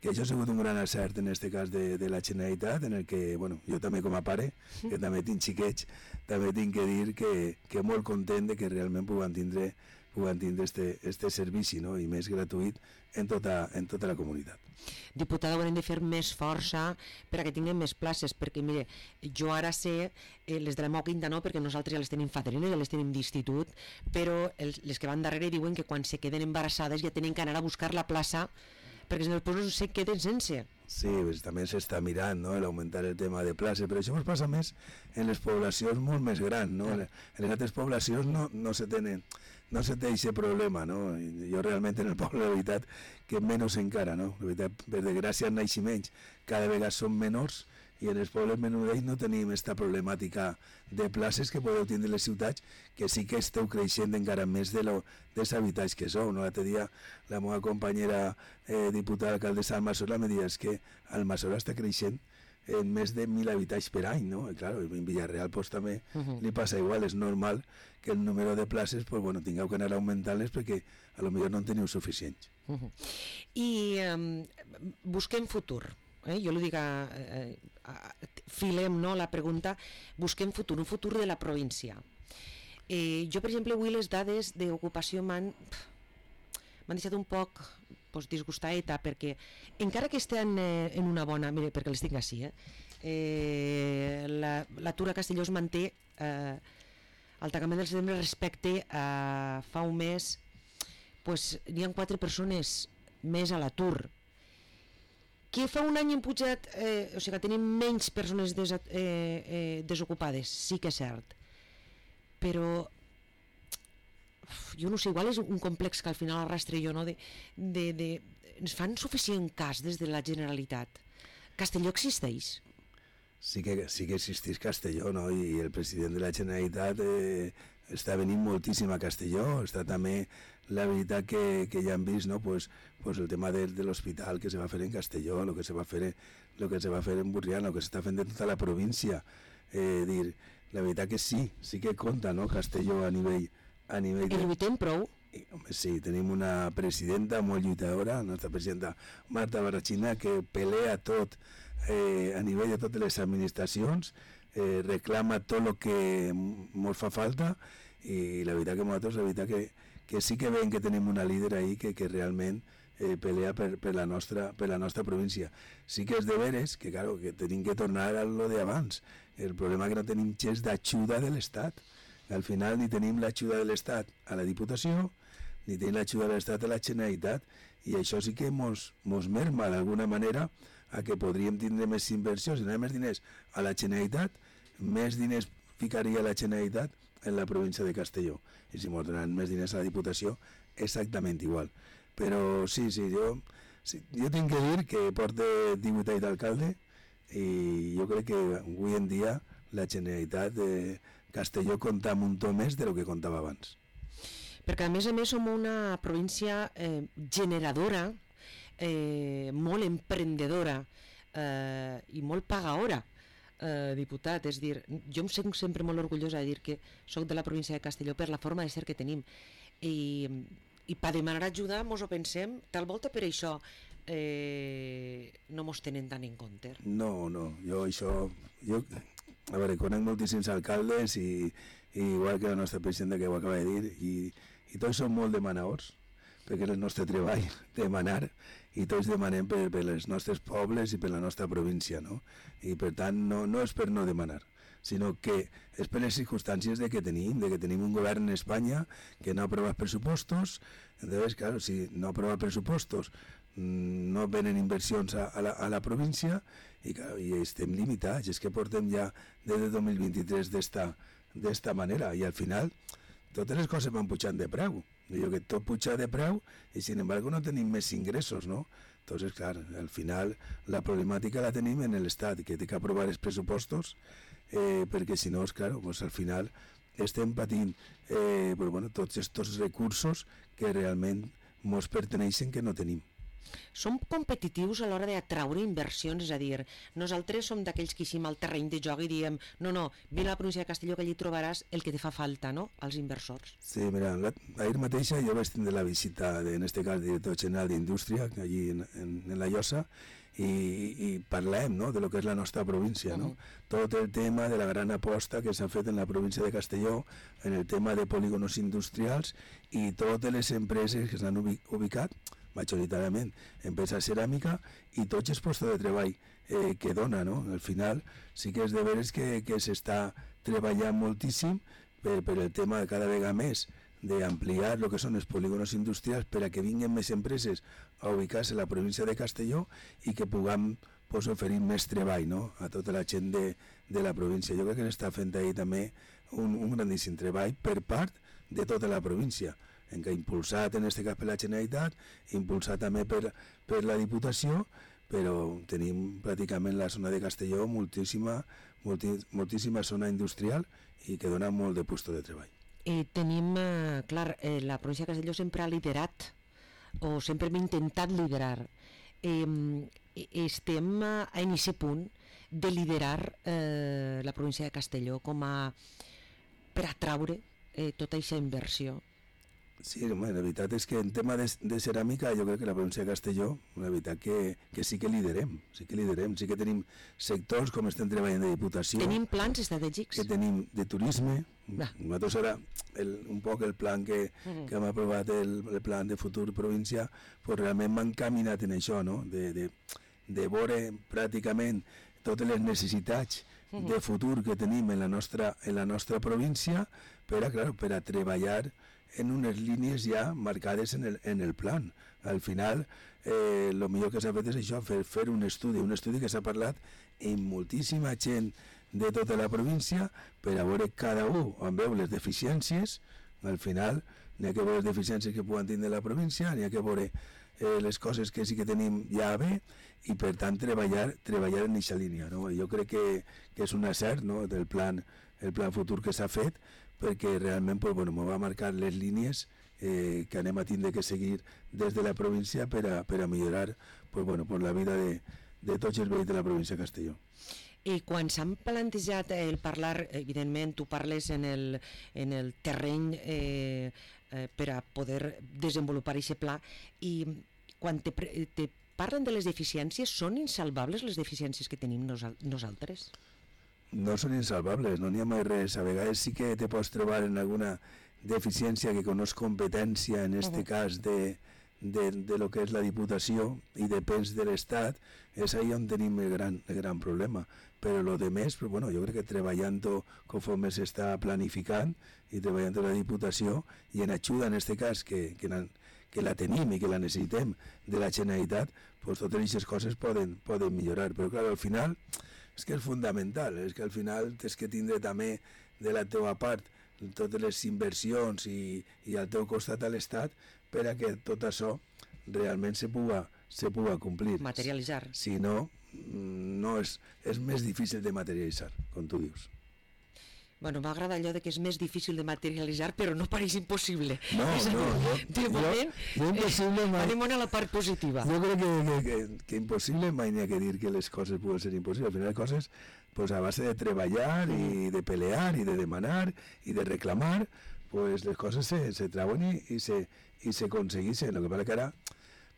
que això ha sigut un gran acert en aquest cas de, de la Generalitat, en el que, bueno, jo també com a pare, que també tinc xiquets, també tinc que dir que, que molt content de que realment puguen tindre puguen tindre este, este servici, no?, i més gratuït en tota, en tota la comunitat. Diputada, haurem de fer més força per a que tinguem més places, perquè mire, jo ara sé, eh, les de la meva quinta no, perquè nosaltres ja les tenim fadrines, ja les tenim d'institut, però els, les que van darrere diuen que quan se queden embarassades ja tenen que anar a buscar la plaça, perquè si no després no se queden sense. Sí, pues, també s'està mirant, no?, l'augmentar el tema de places, però això ens passa més en les poblacions molt més grans, no? En les altres poblacions no, no se tenen no se té aquest problema, no? Jo realment en el poble, la veritat, que menys encara, no? La veritat, per desgràcia, els naixements cada vegada són menors i en els pobles menudells no tenim aquesta problemàtica de places que podeu tindre les ciutats, que sí que esteu creixent encara més de lo, dels habitatges que sou. No? L'altre dia la meva companyera eh, diputada alcaldessa d'Almassora me deia que Almassora està creixent en més de mil habitatges per any, no? I claro, en Villarreal pues, també uh-huh. li passa igual, és normal que el número de places pues, bueno, tingueu que anar augmentant-les perquè a lo millor no en teniu suficients. Uh-huh. I um, busquem futur, eh? Jo li dic a, a, a, filem no, la pregunta, busquem futur, un futur de la província. Eh, jo, per exemple, avui les dades d'ocupació m'han m'han deixat un poc pues, disgustadeta, perquè encara que estem eh, en una bona... Mira, perquè les tinc així, eh? eh l'atur a Castelló es manté eh, al tancament del setembre respecte a fa un mes, pues, n'hi ha quatre persones més a l'atur. Que fa un any hem pujat, eh, o sigui que tenim menys persones des, eh, eh, desocupades, sí que és cert, però jo no sé, igual és un complex que al final arrastre jo, no? De, de, de, ens fan suficient cas des de la Generalitat. Castelló existeix? Sí que, sí que existeix Castelló, no? I el president de la Generalitat eh, està venint moltíssim a Castelló. Està també la veritat que, que ja hem vist, no? Pues, pues el tema de, de l'hospital que se va fer en Castelló, el que se va fer, lo que se va fer en Burriana, el que s'està fent de tota la província. Eh, dir, la veritat que sí, sí que compta, no? Castelló a nivell a nivell de... I lluitem prou? I, home, sí, tenim una presidenta molt lluitadora, la nostra presidenta Marta Barrachina, que pelea tot eh, a nivell de totes les administracions, eh, reclama tot el que ens fa falta, i la veritat que nosaltres, la veritat que, que sí que veiem que tenim una líder ahí que, que realment eh, pelea per, per, la nostra, per la nostra província. Sí que és de veres que, claro, que tenim que tornar a lo d'abans. El problema és que no tenim gens d'ajuda de l'Estat. Al final ni tenim l'ajuda de l'Estat a la Diputació, ni tenim l'ajuda de l'Estat a la Generalitat, i això sí que mos, mos merma d'alguna manera a que podríem tindre més inversions. Si no hi ha més diners a la Generalitat, més diners ficaria la Generalitat en la província de Castelló. I si mos donaran més diners a la Diputació, exactament igual. Però sí, sí, jo, sí, jo tinc que dir que porto divuit anys d'alcalde i jo crec que avui en dia la Generalitat de Castelló compta amb un to més de lo que comptava abans. Perquè a més a més som una província eh, generadora, eh, molt emprendedora eh, i molt pagadora, eh, diputat. És dir, jo em sento sempre molt orgullosa de dir que soc de la província de Castelló per la forma de ser que tenim. I, i per demanar ajuda mos ho pensem, tal volta per això eh, no mos tenen tant en compte. No, no, jo això... Jo... A veure, conec moltíssims alcaldes i, i igual que la nostra presidenta que ho acaba de dir, i, i tots som molt demanadors, perquè és el nostre treball demanar, i tots demanem per, per els nostres pobles i per la nostra província, no? I per tant no, no és per no demanar, sinó que és per les circumstàncies de que tenim, de que tenim un govern en Espanya que no aprova pressupostos. Entonces, claro, si no aprova pressupostos, no venen inversions a, a, la, a la província i, claro, i estem limitats. És que portem ja des de dos mil vint-i-tres d'esta manera i al final totes les coses van pujant de preu. Digo que tot puja de preu i sin embargo no tenim més ingressos, no? Entonces, clar, al final la problemàtica la tenim en l'Estat, que té que aprovar els pressupostos eh, perquè si no, claro, pues al final estem patint eh, pues, bueno, tots aquests recursos que realment mos perteneixen que no tenim. Som competitius a l'hora d'atraure inversions, és a dir, nosaltres som d'aquells que eixim al terreny de joc i diem no, no, vine a la província de Castelló que allí trobaràs el que te fa falta, no?, als inversors. Sí, mira, la, ahir mateixa jo vaig tindre la visita, de, en este cas, del director general d'Indústria, allí en, en, en la Llosa, i, i parlem, no?, de lo que és la nostra província, no? Uh-huh. Tot el tema de la gran aposta que s'ha fet en la província de Castelló, en el tema de polígonos industrials i totes les empreses que s'han ubicat, majoritàriament empresa ceràmica, i tots els postos de treball eh, que dona, no? Al final sí que és de veres que, que s'està treballant moltíssim per, per el tema de cada vegada més d'ampliar el que són els polígonos industrials per a que vinguin més empreses a ubicar-se a la província de Castelló i que puguem pues, oferir més treball, no?, a tota la gent de, de la província. Jo crec que n'està fent ahir també un, un grandíssim treball per part de tota la província, en què impulsat en aquest cas per la Generalitat, impulsat també per, per la Diputació, però tenim pràcticament la zona de Castelló moltíssima, molti, moltíssima zona industrial i que dona molt de puesto de treball. Eh, tenim, eh, clar, eh, la província de Castelló sempre ha liderat, o sempre hem intentat liderar. Eh, estem en aquest punt de liderar eh, la província de Castelló com a per atraure eh, tota aquesta inversió. Sí, home, la veritat és que en tema de, de ceràmica jo crec que la província de Castelló, la veritat que, que sí que liderem, sí que liderem, sí que tenim sectors com estem treballant de Diputació. Tenim plans estratègics? Que tenim de turisme. Ah. Nosaltres ara, el, un poc el plan que, mm. que hem aprovat, el, el plan de futur província, pues realment m'han caminat en això, no? De, de, de veure pràcticament totes les necessitats mm. de futur que tenim en la nostra, en la nostra província per a, clar, per a treballar en unes línies ja marcades en el, en el plan. Al final, eh, el millor que s'ha fet és això, fer, fer un estudi, un estudi que s'ha parlat amb moltíssima gent de tota la província per a veure cada un on veu les deficiències. Al final, n'hi ha que veure les deficiències que poden tindre la província, n'hi ha que veure eh, les coses que sí que tenim ja bé i per tant treballar, treballar en aquesta línia. No? Jo crec que, que és un acert, no? Del plan, el plan futur que s'ha fet, perquè realment pues, bueno, m'ho va marcar les línies eh, que anem a tindre que seguir des de la província per a, per a millorar pues, bueno, pues, la vida de, de tots els veïns de la província de Castelló. I quan s'han plantejat el parlar, evidentment tu parles en el, en el terreny eh, eh, per a poder desenvolupar aquest pla, i quan te, te parlen de les deficiències, són insalvables les deficiències que tenim nosal nosaltres? No són insalvables, no n'hi ha mai res. A vegades sí que te pots trobar en alguna deficiència que coneix competència, en este uh -huh. cas de, de, de lo que és la Diputació i depèn de l'Estat, és ahí on tenim el gran, el gran problema. Però lo de més, pues, bueno, jo crec que treballant conforme s'està planificant i treballant la Diputació i en ajuda en este cas que, que, la, que la tenim i que la necessitem de la Generalitat, pues, totes aquestes coses poden, poden millorar. Però clar, al final és que és fundamental, és que al final tens que tindre també de la teva part totes les inversions i, i al teu costat a l'Estat per a que tot això realment se puga, se puga complir. Materialitzar. Si no, no és, és més difícil de materialitzar, com tu dius. Bueno, m'agrada allò de que és més difícil de materialitzar, però no pareix impossible. No, és no, no. De moment, jo, jo mai... anem a la part positiva. Jo crec que, que, que, que impossible mai n'hi ha que dir que les coses poden ser impossibles. Al final les coses, pues, a base de treballar i de pelear i de demanar i de reclamar, pues les coses se, se trauen i, i se, i se aconsegueixen. El que passa que ara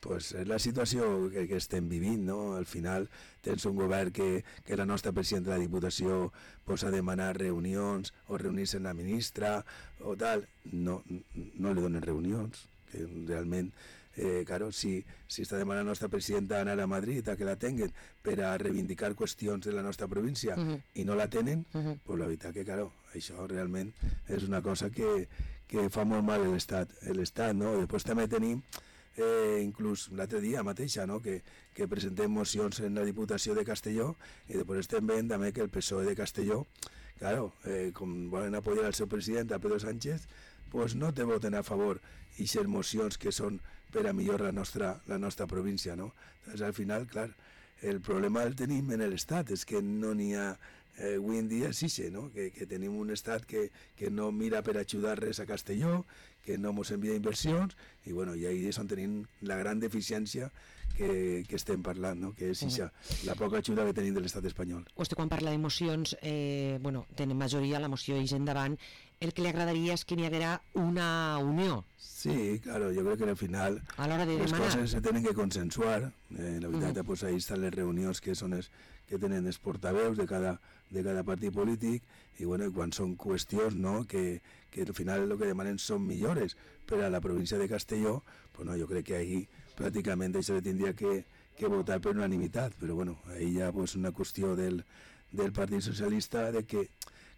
pues és la situació que, que estem vivint, no? Al final tens un govern que, que la nostra presidenta de la Diputació pues, ha demanat reunions o reunir-se amb la ministra o tal. No, no li donen reunions, que realment, eh, claro, si, si està demanant la nostra presidenta anar a Madrid a que la tenguen per a reivindicar qüestions de la nostra província uh -huh. i no la tenen, uh -huh. pues la veritat que, claro, això realment és una cosa que, que fa molt mal a l'Estat, l'Estat, no? Després també tenim Eh, inclús l'altre dia mateixa, no? que, que presentem mocions en la Diputació de Castelló i després estem veient també que el P S O E de Castelló, claro, eh, com volen apoyar al seu president, a Pedro Sánchez, pues no te voten a favor aquestes mocions que són per a millorar la nostra, la nostra província. No? Entonces, al final, clar, el problema el tenim en l'Estat, és que no n'hi ha eh, avui en dia sí, no? que, que tenim un estat que, que no mira per ajudar res a Castelló, que no ens envia inversions, i, bueno, i ahí és on tenim la gran deficiència que, que estem parlant, no? que és ixa, la poca ajuda que tenim de l'estat espanyol. Vostè quan parla d'emocions, eh, bueno, tenen majoria, la moció és endavant, el que li agradaria és que n'hi haguera una unió. Sí, claro, jo crec que al final a l'hora de les demanar. coses se tenen que consensuar, eh, la veritat, uh -huh. pues ahí estan les reunions que són les que tenen els portaveus de cada, de cada partit polític, i bueno, quan són qüestions, no?, que, que al final el que demanen són millores per a la província de Castelló, pues no, jo crec que ahí pràcticament això se tindria que, que votar per unanimitat, però bueno, ahí ja pues una qüestió del, del Partit Socialista de que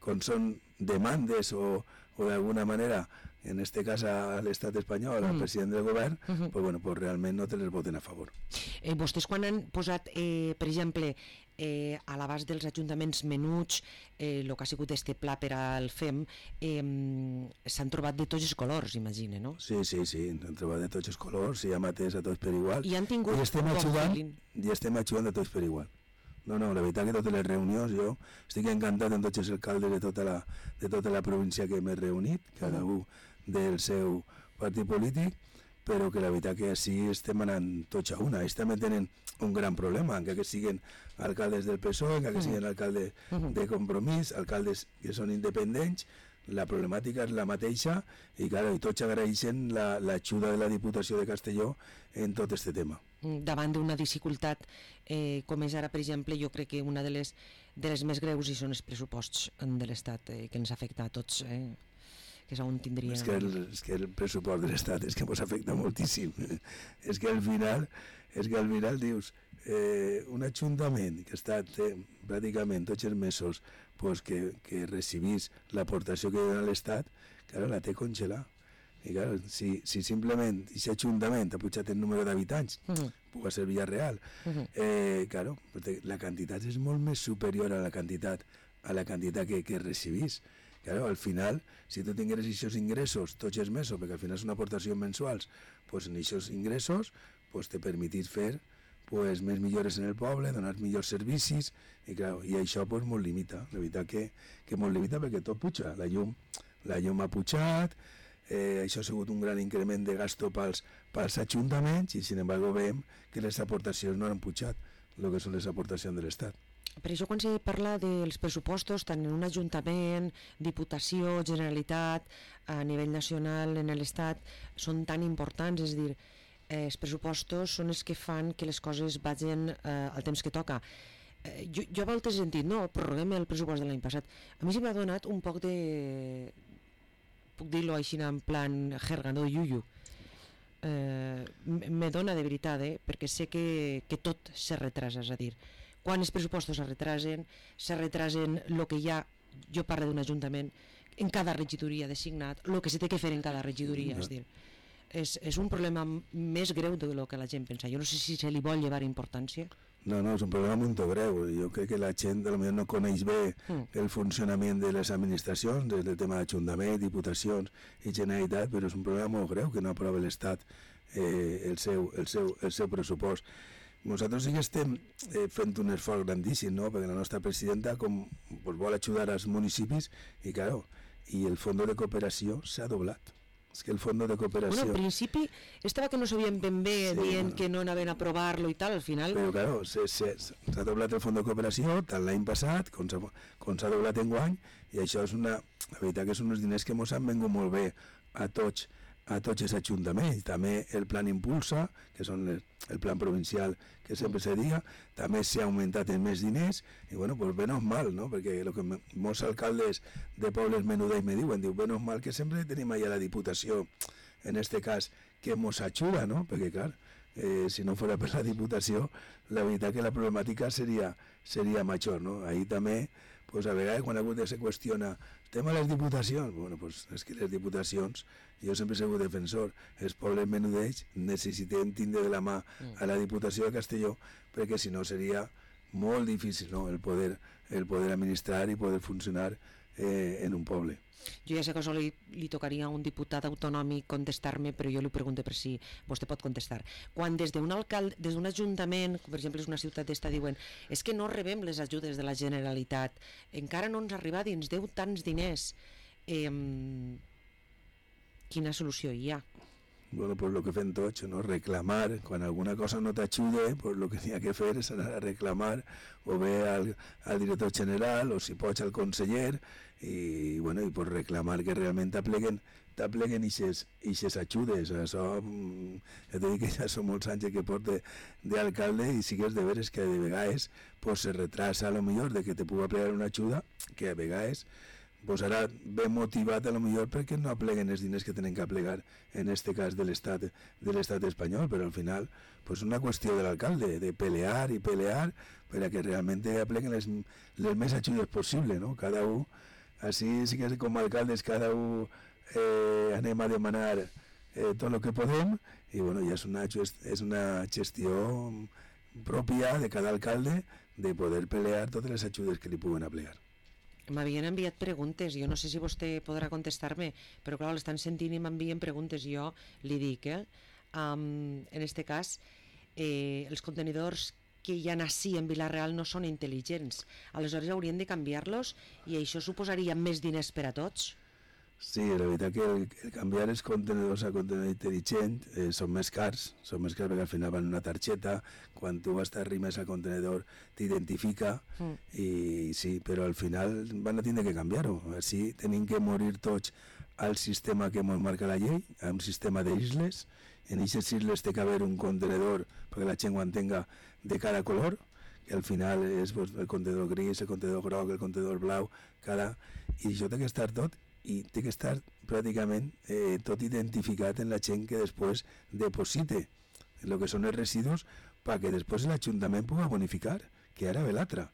quan són demandes o, o d'alguna manera, en este cas a l'estat espanyol, al mm. president del govern, uh-huh. pues bueno, pues realment no te les voten a favor. Eh, vostès quan han posat, eh, per exemple, eh, a l'abast dels ajuntaments menuts, el eh, que ha sigut este pla per al F E M, eh, s'han trobat de tots els colors, imagine, no? Sí, sí, sí, s'han trobat de tots els colors, i hem atès a tots per igual. I han tingut I estem bon ajudant, feeling. i estem ajudant a tots per igual. No, no, la veritat que totes les reunions, jo estic encantat amb tots els alcaldes de tota la, de tota la província que m'he reunit, cada un del seu partit polític, però que la veritat que així estem anant tots a una. Ells també tenen un gran problema, encara que siguin alcaldes del P S O E, encara que siguin alcaldes de Compromís, alcaldes que són independents, la problemàtica és la mateixa i, clar, i tots agraeixen l'ajuda de la Diputació de Castelló en tot aquest tema. Davant d'una dificultat eh, com és ara, per exemple, jo crec que una de les, de les més greus hi són els pressuposts de l'Estat, eh, que ens afecta a tots, eh, que és on tindria... És que el, és que el pressupost de l'Estat és que ens afecta moltíssim. És que al final, és que al final dius, eh, un ajuntament que està té, pràcticament tots els mesos pues, que, que recibís l'aportació que dona l'Estat, claro, la té congelar. I claro, si, si simplement aquest ajuntament ha pujat el número d'habitants, uh -huh. puga ser Villarreal, uh -huh. eh, claro, la quantitat és molt més superior a la quantitat, a la quantitat que, que recibís. Claro, al final, si tu tingueres aquests ingressos tots els mesos, perquè al final són aportacions mensuals, pues en aquests ingressos pues, te permetís fer pues, més millores en el poble, donar millors servicis, i, claro, i això pues, molt limita. La veritat que, que molt limita perquè tot puja. La llum, la llum ha pujat, eh, això ha sigut un gran increment de gasto pels, pels ajuntaments, i sin embargo veiem que les aportacions no han pujat, el que són les aportacions de l'Estat. Per això quan se parla dels pressupostos, tant en un ajuntament, Diputació, Generalitat, a nivell nacional, en l'Estat, són tan importants, és a dir, eh, els pressupostos són els que fan que les coses vagin eh, al temps que toca. Eh, jo, jo a voltes he sentit, no, prorroguem el pressupost de l'any passat. A mi se m'ha donat un poc de... puc dir-lo així en plan jerga, no, yuyu. Eh, me dona de veritat, eh, perquè sé que, que tot se retrasa, és a dir, quan els pressupostos se retrasen, se retrasen el que hi ha, jo parlo d'un ajuntament, en cada regidoria designat, el que se té que fer en cada regidoria, és dir, és, és un problema més greu del que la gent pensa. Jo no sé si se li vol llevar importància. No, no, és un problema molt greu. Jo crec que la gent potser no coneix bé mm. el funcionament de les administracions, des del tema d'Ajuntament, Diputacions i Generalitat, però és un problema molt greu que no aprova l'Estat eh, el, seu, el, seu, el seu pressupost. Nosaltres sí que estem eh, fent un esforç grandíssim, no? Perquè la nostra presidenta com, pues, vol ajudar als municipis i, claro, i el fons de cooperació s'ha doblat. És que el fons de cooperació... Bueno, al principi estava que no sabien ben bé, sí, dient bueno, que no anaven a aprovar-lo i tal, al final... Però, claro, s'ha doblat el fons de cooperació tant l'any passat com s'ha doblat enguany, i això és una... La veritat que són uns diners que ens han vengut molt bé a tots, a tots els ajuntaments. També el plan Impulsa, que són les, el plan provincial que sempre se diga, també s'ha augmentat en més diners, i bueno, pues menos mal, no? Perquè el que molts alcaldes de pobles menudets me diuen, diu, menos mal que sempre tenim allà la Diputació, en este cas, que ens ajuda, no? Perquè, clar, eh, si no fos per la Diputació, la veritat que la problemàtica seria, seria major, no? Ahí també, pues a vegades quan algú se qüestiona el tema de les diputacions, bueno, pues és que les diputacions, jo sempre he sigut defensor, els pobles menudets necessitem tindre de la mà a la Diputació de Castelló, perquè si no seria molt difícil, no?, el poder, el poder administrar i poder funcionar eh, en un poble. Jo ja sé que això li, li tocaria a un diputat autonòmic contestar-me, però jo li pregunto per si vostè pot contestar. Quan des d'un alcalde, des d'un ajuntament, per exemple, és una ciutat d'esta, diuen és que no rebem les ajudes de la Generalitat, encara no ens arriba i ens deu tants diners, eh, quina solució hi ha? Bueno, pues lo que fem tots, no? Reclamar, quan alguna cosa no t'ajude, pues lo que n'hi ha que fer és anar a reclamar, o bé al, al director general, o si pots al conseller, i, bueno, i pues reclamar que realment t'apleguen t'apleguen ixes ajudes. Això, ja t'he dit que ja són molts anys que porto d'alcalde, i sí que és de veres que de vegades pues, se retrasa a lo millor de que te pugui aplegar una ajuda, que a vegades pues ara ben motivat a lo millor perquè no apleguen els diners que tenen que aplegar, en este cas de l'estat de l'estat espanyol, però al final pues una qüestió de l'alcalde, de pelear i pelear per a que realment apleguen les, les més ajudes possible, no? Cada un, així sí que com a alcaldes cada un eh, anem a demanar eh, tot el que podem, i bueno, ja és una, és una gestió pròpia de cada alcalde de poder pelear totes les ajudes que li puguen aplegar. M'havien enviat preguntes, jo no sé si vostè podrà contestar-me, però clar, l'estan sentint i m'envien preguntes, jo li dic, eh? Um, en este cas, eh, els contenidors que hi ha ací en Vila-real no són intel·ligents, aleshores haurien de canviar-los i això suposaria més diners per a tots? Sí, la veritat que el, el canviar els contenidors a contenidor intel·ligent eh, són més cars, són més cars perquè al final van una targeta, quan tu vas t'arrimes al contenidor t'identifica mm. i sí, però al final van a tindre que canviar-ho, així tenim que morir tots al sistema que ens marca la llei, a un sistema d'isles, en aquestes isles té que haver un contenidor perquè la gent ho entenga de cada color, que al final és pues, el contenidor gris, el contenidor groc, el contenidor blau, cada... i això té que estar tot i té que estar pràcticament eh, tot identificat en la gent que després deposite el que són els residus perquè després l'Ajuntament pugui bonificar, que ara ve l'altra.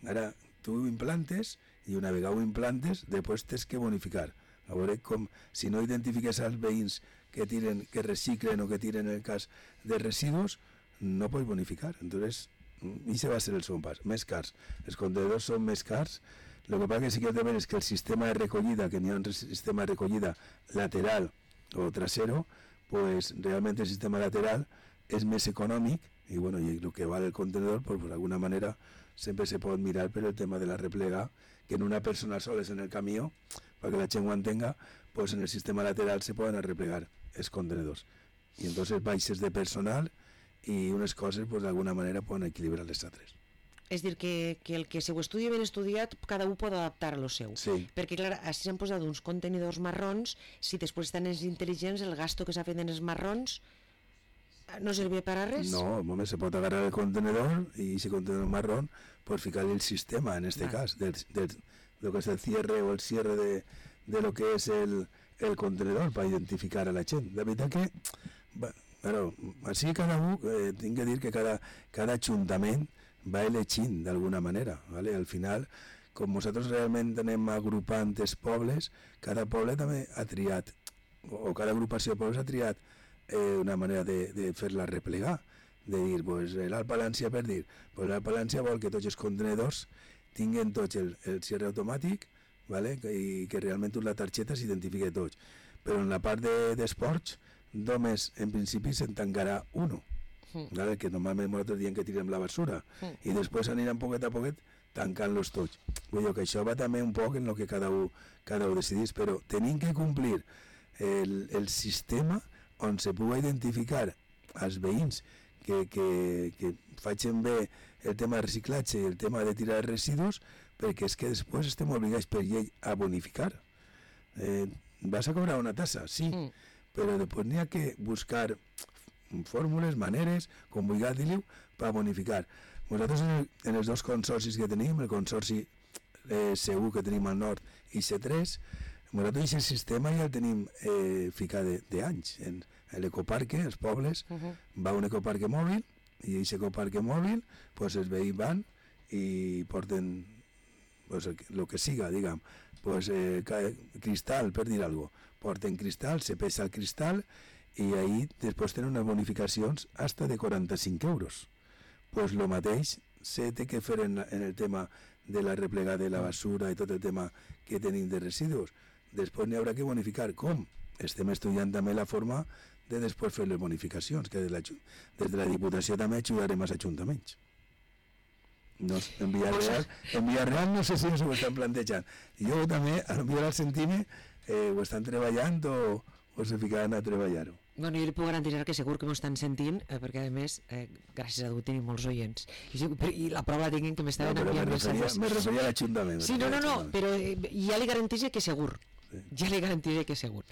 Ara tu ho implantes i una vegada ho implantes després tens que bonificar. A veure com, si no identifiques els veïns que tiren, que reciclen o que tiren en el cas de residus, no pots bonificar. Entonces, això va ser el segon pas, més cars. Els contenidors són més cars. El que passa que sí que de és que el sistema de recollida, que n'hi ha un sistema de recollida lateral o trasero, pues realment el sistema lateral és més econòmic i, bueno, i el que val el contenidor, pues, pues d'alguna manera sempre se pot mirar per el tema de la replega, que en una persona sola és en el camió, perquè la gent ho entenga, pues en el sistema lateral se poden arreplegar els contenidors. I entonces baixes de personal i unes coses pues, d'alguna manera poden equilibrar les altres. És dir, que, que el que se ho estudia ben estudiat, cada un pot adaptar a lo seu. Sí. Perquè, clar, així s'han posat uns contenidors marrons, si després estan els intel·ligents, el gasto que s'ha fet en els marrons no serveix per a res? No, moment, se pot agarrar el contenedor i ese contenedor marrón, pues ficar-li el sistema, en este ah. cas, del, del, lo que és el cierre o el cierre de, de lo que és el, el contenedor per identificar a la gent. De veritat que, bueno, així cada un, eh, tinc que dir que cada, cada ajuntament va elegint d'alguna manera, ¿vale? Al final, com nosaltres realment anem agrupant els pobles, cada poble també ha triat, o cada agrupació de pobles ha triat eh, una manera de, de fer-la replegar, de dir, pues, l'Alt Palància per dir, pues, l'Alt Palància vol que tots els contenidors tinguen tots el, el cierre automàtic, ¿vale? I que realment la targeta s'identifiqui tots. Però en la part d'esports, de, només en principi se'n tancarà uno. ¿Vale? Que normalment nosaltres diem que tirem la basura mm. i després aniran poquet a poquet tancant-los tots. Vull dir que això va també un poc en el que cada un, cada un decidís, però tenim que complir el, el sistema on se pugui identificar als veïns que, que, que facin bé el tema de reciclatge i el tema de tirar residus, perquè és que després estem obligats per llei a bonificar. Eh, vas a cobrar una tassa, sí, mm. però després n'hi ha que buscar fórmules, maneres, com vulgui dir-ho, per bonificar. Nosaltres en, el, en els dos consorcis que tenim, el consorci eh, segur que tenim al nord i C tres, nosaltres aquest sistema ja el tenim eh, ficat d'anys. En, en l'ecoparque, els pobles, uh -huh. va un ecoparque mòbil i aquest ecoparque mòbil, pues, els veïns van i porten pues, el, el que siga, diguem, pues, eh, cristal, per dir alguna cosa. Porten cristal, se pesa el cristal i ahí després tenen unes bonificacions hasta de quaranta-cinc euros. Pues lo mateix se té que fer en, en el tema de la replegada de la basura i tot el tema que tenim de residus. Després n'hi haurà que bonificar. Com? Estem estudiant també la forma de després fer les bonificacions, que des de la, des de la Diputació també ajudarem als ajuntaments. No, en Villarreal, en Villarreal no sé si ho estan plantejant. Jo també, a lo millor al Centime, eh, ho estan treballant o, o se ficaran a treballar-ho. Bueno, jo li puc garantir que segur que m'ho estan sentint, eh, perquè a més, eh, gràcies a Déu tenim molts oients. I, i la prova la tinc que m'estaven no, enviant missatges. Me referia a l'Ajuntament. Sí, no, no, no, però eh, ja li garanteix que segur. Sí. Ja li garantiré que segur.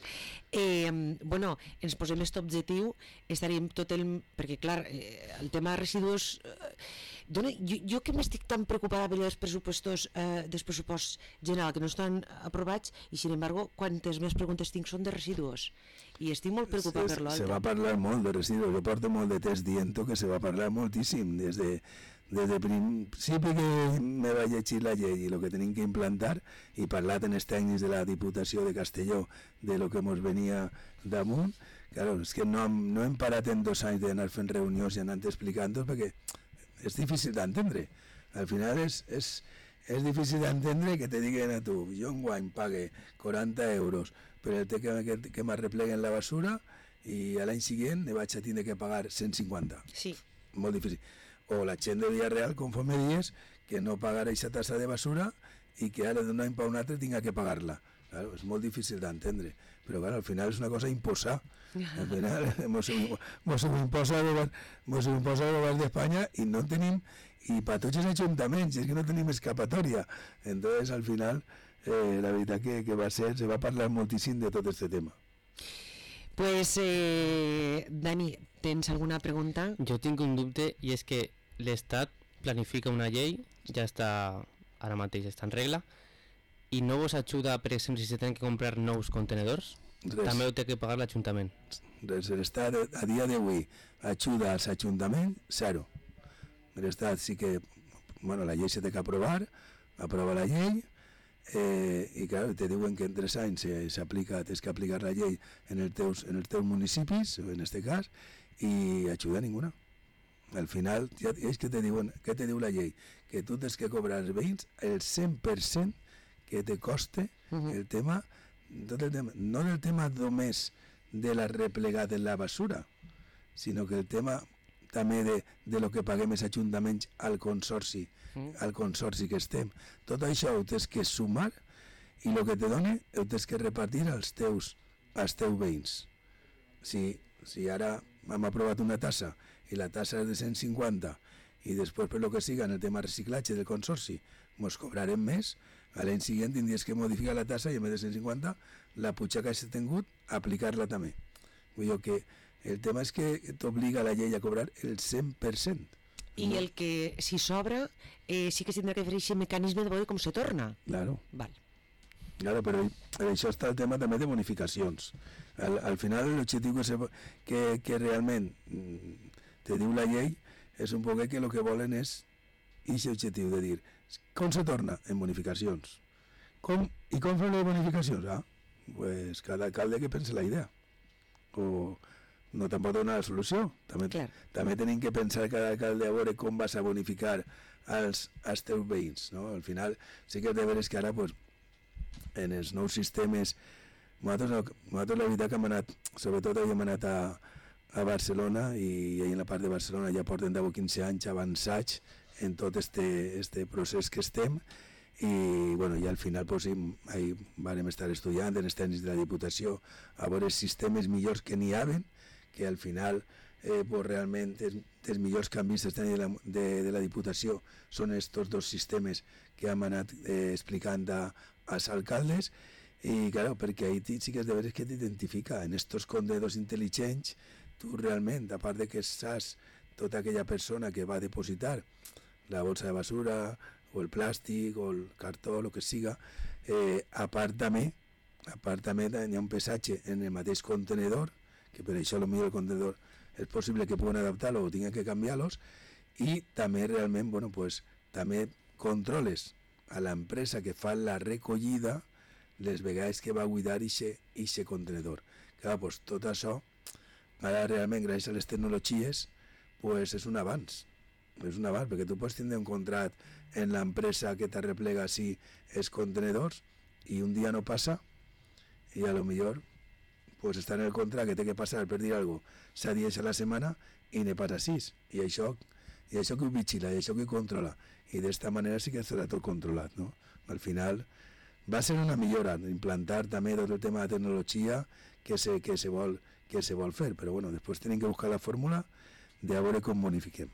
Eh, bueno, ens posem aquest objectiu, estaríem tot el... Perquè, clar, eh, el tema de residus... Eh, dona, jo, jo que m'estic tan preocupada per els pressupostos eh, dels pressuposts general que no estan aprovats i, sin embargo, quantes més preguntes tinc són de residus. I estic molt preocupat se, per l'altre. Se va parlar molt de residus, jo porto molt de temps dient que se va parlar moltíssim des de, des de principi que me va llegir la llei i el que tenim que implantar i parlat en els tècnics de la Diputació de Castelló de lo que ens venia damunt. Claro, és que no, no hem parat en dos anys d'anar fent reunions i anant explicant-ho perquè és difícil d'entendre. Al final és, és, és difícil d'entendre que te diguen a tu, jo enguany pague quaranta euros per el que, que, que m'arrepleguen la basura i a l'any següent ne vaig a tindre que pagar cent cinquanta. Sí. Molt difícil. O la gent de dia real, conforme dies, que no pagarà aquesta tassa de basura i que ara d'un any per un altre tinga que pagar-la. Claro, és molt difícil d'entendre, però claro, al final és una cosa imposar. Al final mos ho imposa el govern, mos ho imposa el govern d'Espanya i no tenim, i per tots els ajuntaments, és que no tenim escapatòria. Entonces, al final, eh, la veritat que, que va ser, se va parlar moltíssim de tot aquest tema. Pues, eh, Dani, tens alguna pregunta? Jo tinc un dubte i és que l'Estat planifica una llei, ja està, ara mateix està en regla, i no vos ajuda, per exemple, si se tenen que comprar nous contenedors? Res. També ho té que pagar l'Ajuntament. Res, l'Estat a dia d'avui ajuda als ajuntaments, zero. L'Estat sí que, bueno, la llei se té que aprovar, aprova la llei, eh, i clar, te diuen que en tres anys s'aplica, tens que aplicar la llei en els teus, en els teus municipis, en este cas, i ajuda a ninguna. Al final, ja, és que te diuen, què te diu la llei? Que tu tens que cobrar als veïns el cent per cent que te coste uh-huh. el tema, tot el tema, no el tema només de la replegada de la basura, sinó que el tema també de, de lo que paguem els ajuntaments al consorci, mm. al consorci que estem. Tot això ho tens que sumar i el que te dona ho tens que repartir als teus, als teus veïns. Si, si ara hem aprovat una tassa i la tassa és de cent cinquanta i després per lo que siga en el tema reciclatge del consorci mos cobrarem més, a l'any següent tindries que modificar la tassa i en vez de cent cinquanta la puja que has tingut aplicar-la també. Vull dir que el tema és que t'obliga la llei a cobrar el cent per cent. I no? El que si sobra eh, sí que tindrà que fer aquest mecanisme de veure com se torna. Claro. Val. Claro, però això està el tema també de bonificacions. Al, al final l'objectiu que, se, que, que realment te diu la llei és un poc que el que volen és aquest objectiu de dir com se torna? En bonificacions. Com, I com fan les bonificacions? Ah, pues cada alcalde que pense la idea. O no te'n pot donar la solució. També, també tenim que pensar cada alcalde a veure com vas a bonificar als, als teus veïns. No? Al final sí que és de veres que ara pues, en els nous sistemes nosaltres, nosaltres la veritat que hem anat, sobretot hem anat a, a Barcelona i, i en la part de Barcelona ja porten deu o quinze anys avançats en tot este, este procés que estem i bueno, ja al final pues, ahí vam estar estudiant en els tècnics de la Diputació a veure sistemes millors que n'hi haven, que al final eh, pues, realment els, els millors canvis de la, de, de la Diputació són estos dos sistemes que hem anat eh, explicant a, als alcaldes i claro, perquè ahí sí que és de veres que t'identifica en estos contenedors intel·ligents tu realment, a part de que saps tota aquella persona que va a depositar la bolsa de basura o el plàstic o el cartó, el que siga, eh, a part també, a part també hi ha un pesatge en el mateix contenedor, que per això potser el contenedor és possible que puguen adaptar-lo o tinguin que canviar-los, i també realment, bueno, pues, també controles a l'empresa que fa la recollida les vegades que va a buidar aquest contenedor. Clar, pues, tot això, ara realment, gràcies a les tecnologies, pues, és un avanç. És un avanç, perquè tu pots tindre un contrat en l'empresa que t'arreplega si els contenedors i un dia no passa i a lo millor pues, està en el contrat que té que passar per dir alguna cosa set dies a la setmana i ne passa sis i això, i això que ho vigila i això que ho controla i d'esta manera sí que estarà tot controlat, no? Al final va ser una millora implantar també tot el tema de tecnologia que se, que se, vol, que se vol fer, però bueno, després tenim que buscar la fórmula de a veure com bonifiquem.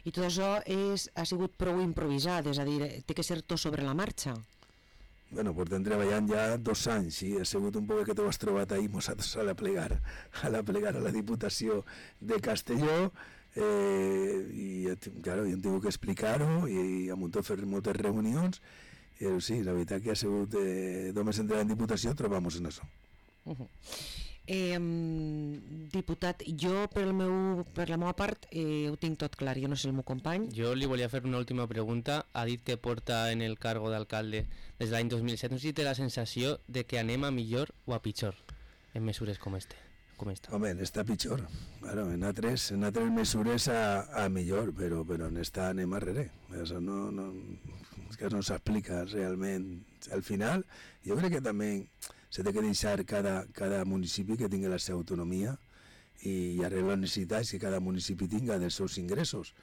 I tot això és, ha sigut prou improvisat, és a dir, té que ser tot sobre la marxa? Bueno, portem treballant ja dos anys i ha sigut un poc que t'ho has trobat ahir nosaltres a la plegar, a la plegar a la Diputació de Castelló eh, i claro, jo hem tingut que explicar-ho i hem hagut de fer moltes reunions i sí, la veritat que ha sigut eh, només entrar en Diputació trobamos en això. Uh-huh. Eh, diputat, jo per, el meu, per la meva part eh, ho tinc tot clar, jo no sé el meu company. Jo li volia fer una última pregunta. Ha dit que porta en el cargo d'alcalde des de l'any dos mil set. No sé si té la sensació de que anem a millor o a pitjor en mesures com este. com està? Home, n'està pitjor. Claro, en altres, en altres mesures a, a millor, però, però en esta anem arrere. Això no, no, és que no s'explica realment. Al final, jo crec que també s'ha de deixar cada, cada municipi que tingui la seva autonomia i arreglar les necessitats que cada municipi tinga dels seus ingressos.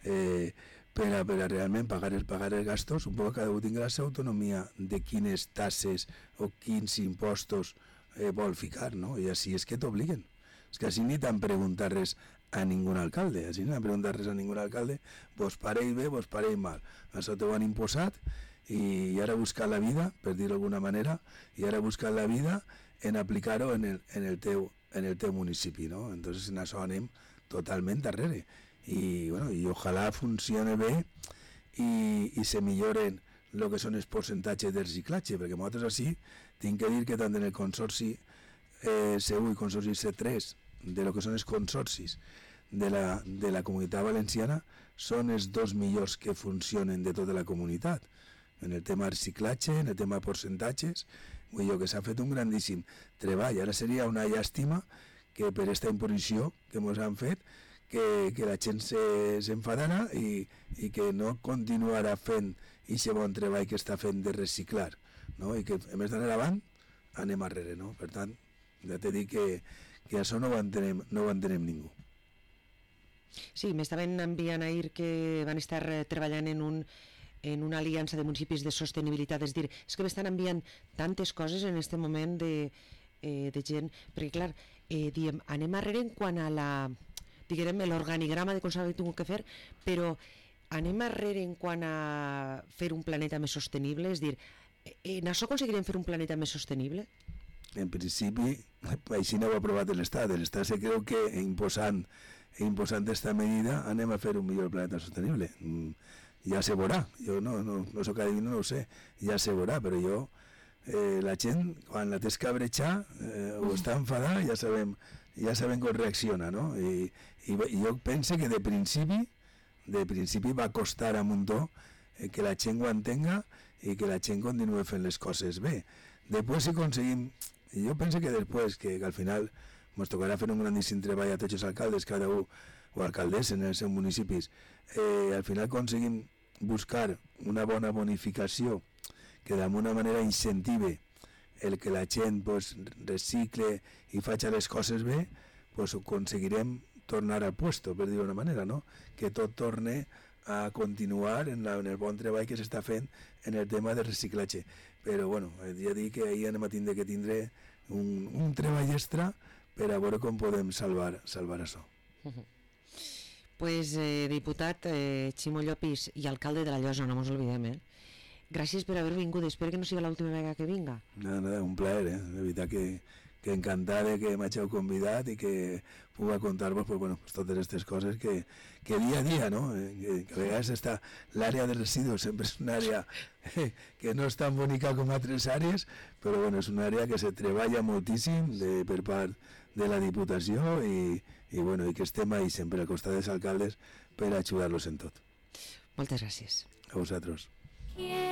Eh, per a, per a realment pagar, el, pagar els gastos, un poc cada un tingui la seva autonomia de quines tasses o quins impostos eh, vol ficar, no? I així és que t'obliguen. És que així ni t'han preguntat res a ningú alcalde, així ni t'han preguntat res a ningú alcalde, vos pareix bé, vos pareix mal. Això t'ho han imposat i, i ara buscar la vida, per dir-ho d'alguna manera, i ara buscar la vida en aplicar-ho en, el, en, el teu, en el teu municipi, no? Entonces en això anem totalment darrere. I, bueno, i ojalà funcione bé i, i se milloren el que són els percentatges de reciclatge, perquè nosaltres així tinc que dir que tant en el consorci eh, C u i consorci C tres, de lo que són els consorcis de la, de la comunitat valenciana, són els dos millors que funcionen de tota la comunitat. En el tema reciclatge, en el tema percentatges, vull dir que s'ha fet un grandíssim treball. Ara seria una llàstima que per aquesta imposició que ens han fet que, que la gent s'enfadara se, i, i que no continuarà fent aquest bon treball que està fent de reciclar, no? I que a més d'anar avant anem arrere, no? Per tant, ja t'he dit que, que això no ho entenem, no ho entenem ningú. Sí, m'estaven enviant ahir que van estar treballant en un en una aliança de municipis de sostenibilitat, és dir, és que m'estan enviant tantes coses en aquest moment de, eh, de gent, perquè clar, eh, diem, anem arrere en quant a la diguem, l'organigrama de com s'ha tingut que fer, però anem arrere en quant a fer un planeta més sostenible, és dir, en això aconseguirem fer un planeta més sostenible? En principi, així no ho ha aprovat l'Estat. L'Estat se creu que imposant imposant aquesta medida anem a fer un millor planeta sostenible. Ja se veurà, jo no, no, no soc adivino, no ho sé, ja se veurà, però jo, eh, la gent, quan la tens que abretxar eh, o està enfadada, ja sabem, ja sabem com reacciona, no? I, i, i jo penso que de principi, de principi va costar a muntó eh, que la gent ho entenga i que la gent continuï fent les coses bé. Després si aconseguim, jo penso que després, que, que al final ens tocarà fer un grandíssim treball a tots els alcaldes, cada un, o alcaldesses en els seus municipis, eh, al final aconseguim buscar una bona bonificació que d'alguna manera incentive el que la gent pues, recicle i faci les coses bé, pues, aconseguirem tornar al puesto, per dir-ho d'una manera, no? Que tot torne a continuar en, la, en el bon treball que s'està fent en el tema de reciclatge. Però bueno, ja dic que ahir anem a tindre que tindre un, un treball extra per a veure com podem salvar, salvar això. Uh-huh. Pues, eh, diputat eh, Ximo Llopis i alcalde de la Llosa, no mos oblidem, eh? Gràcies per haver vingut, espero que no sigui l'última vegada que vinga. Nada, nada, un plaer, eh? De veritat que, que encantat que m'hàgiu convidat i que puga contar-vos pues, bueno, pues, totes aquestes coses que, que dia a dia, no? Eh, que, que a vegades està l'àrea de residus, sempre és una àrea eh, que no és tan bonica com altres àrees, però bueno, és una àrea que se treballa moltíssim de, per part de la Diputació i, i, bueno, i que estem ahí sempre al costat dels alcaldes per ajudar-los en tot. Moltes gràcies. A vosaltres. Yeah.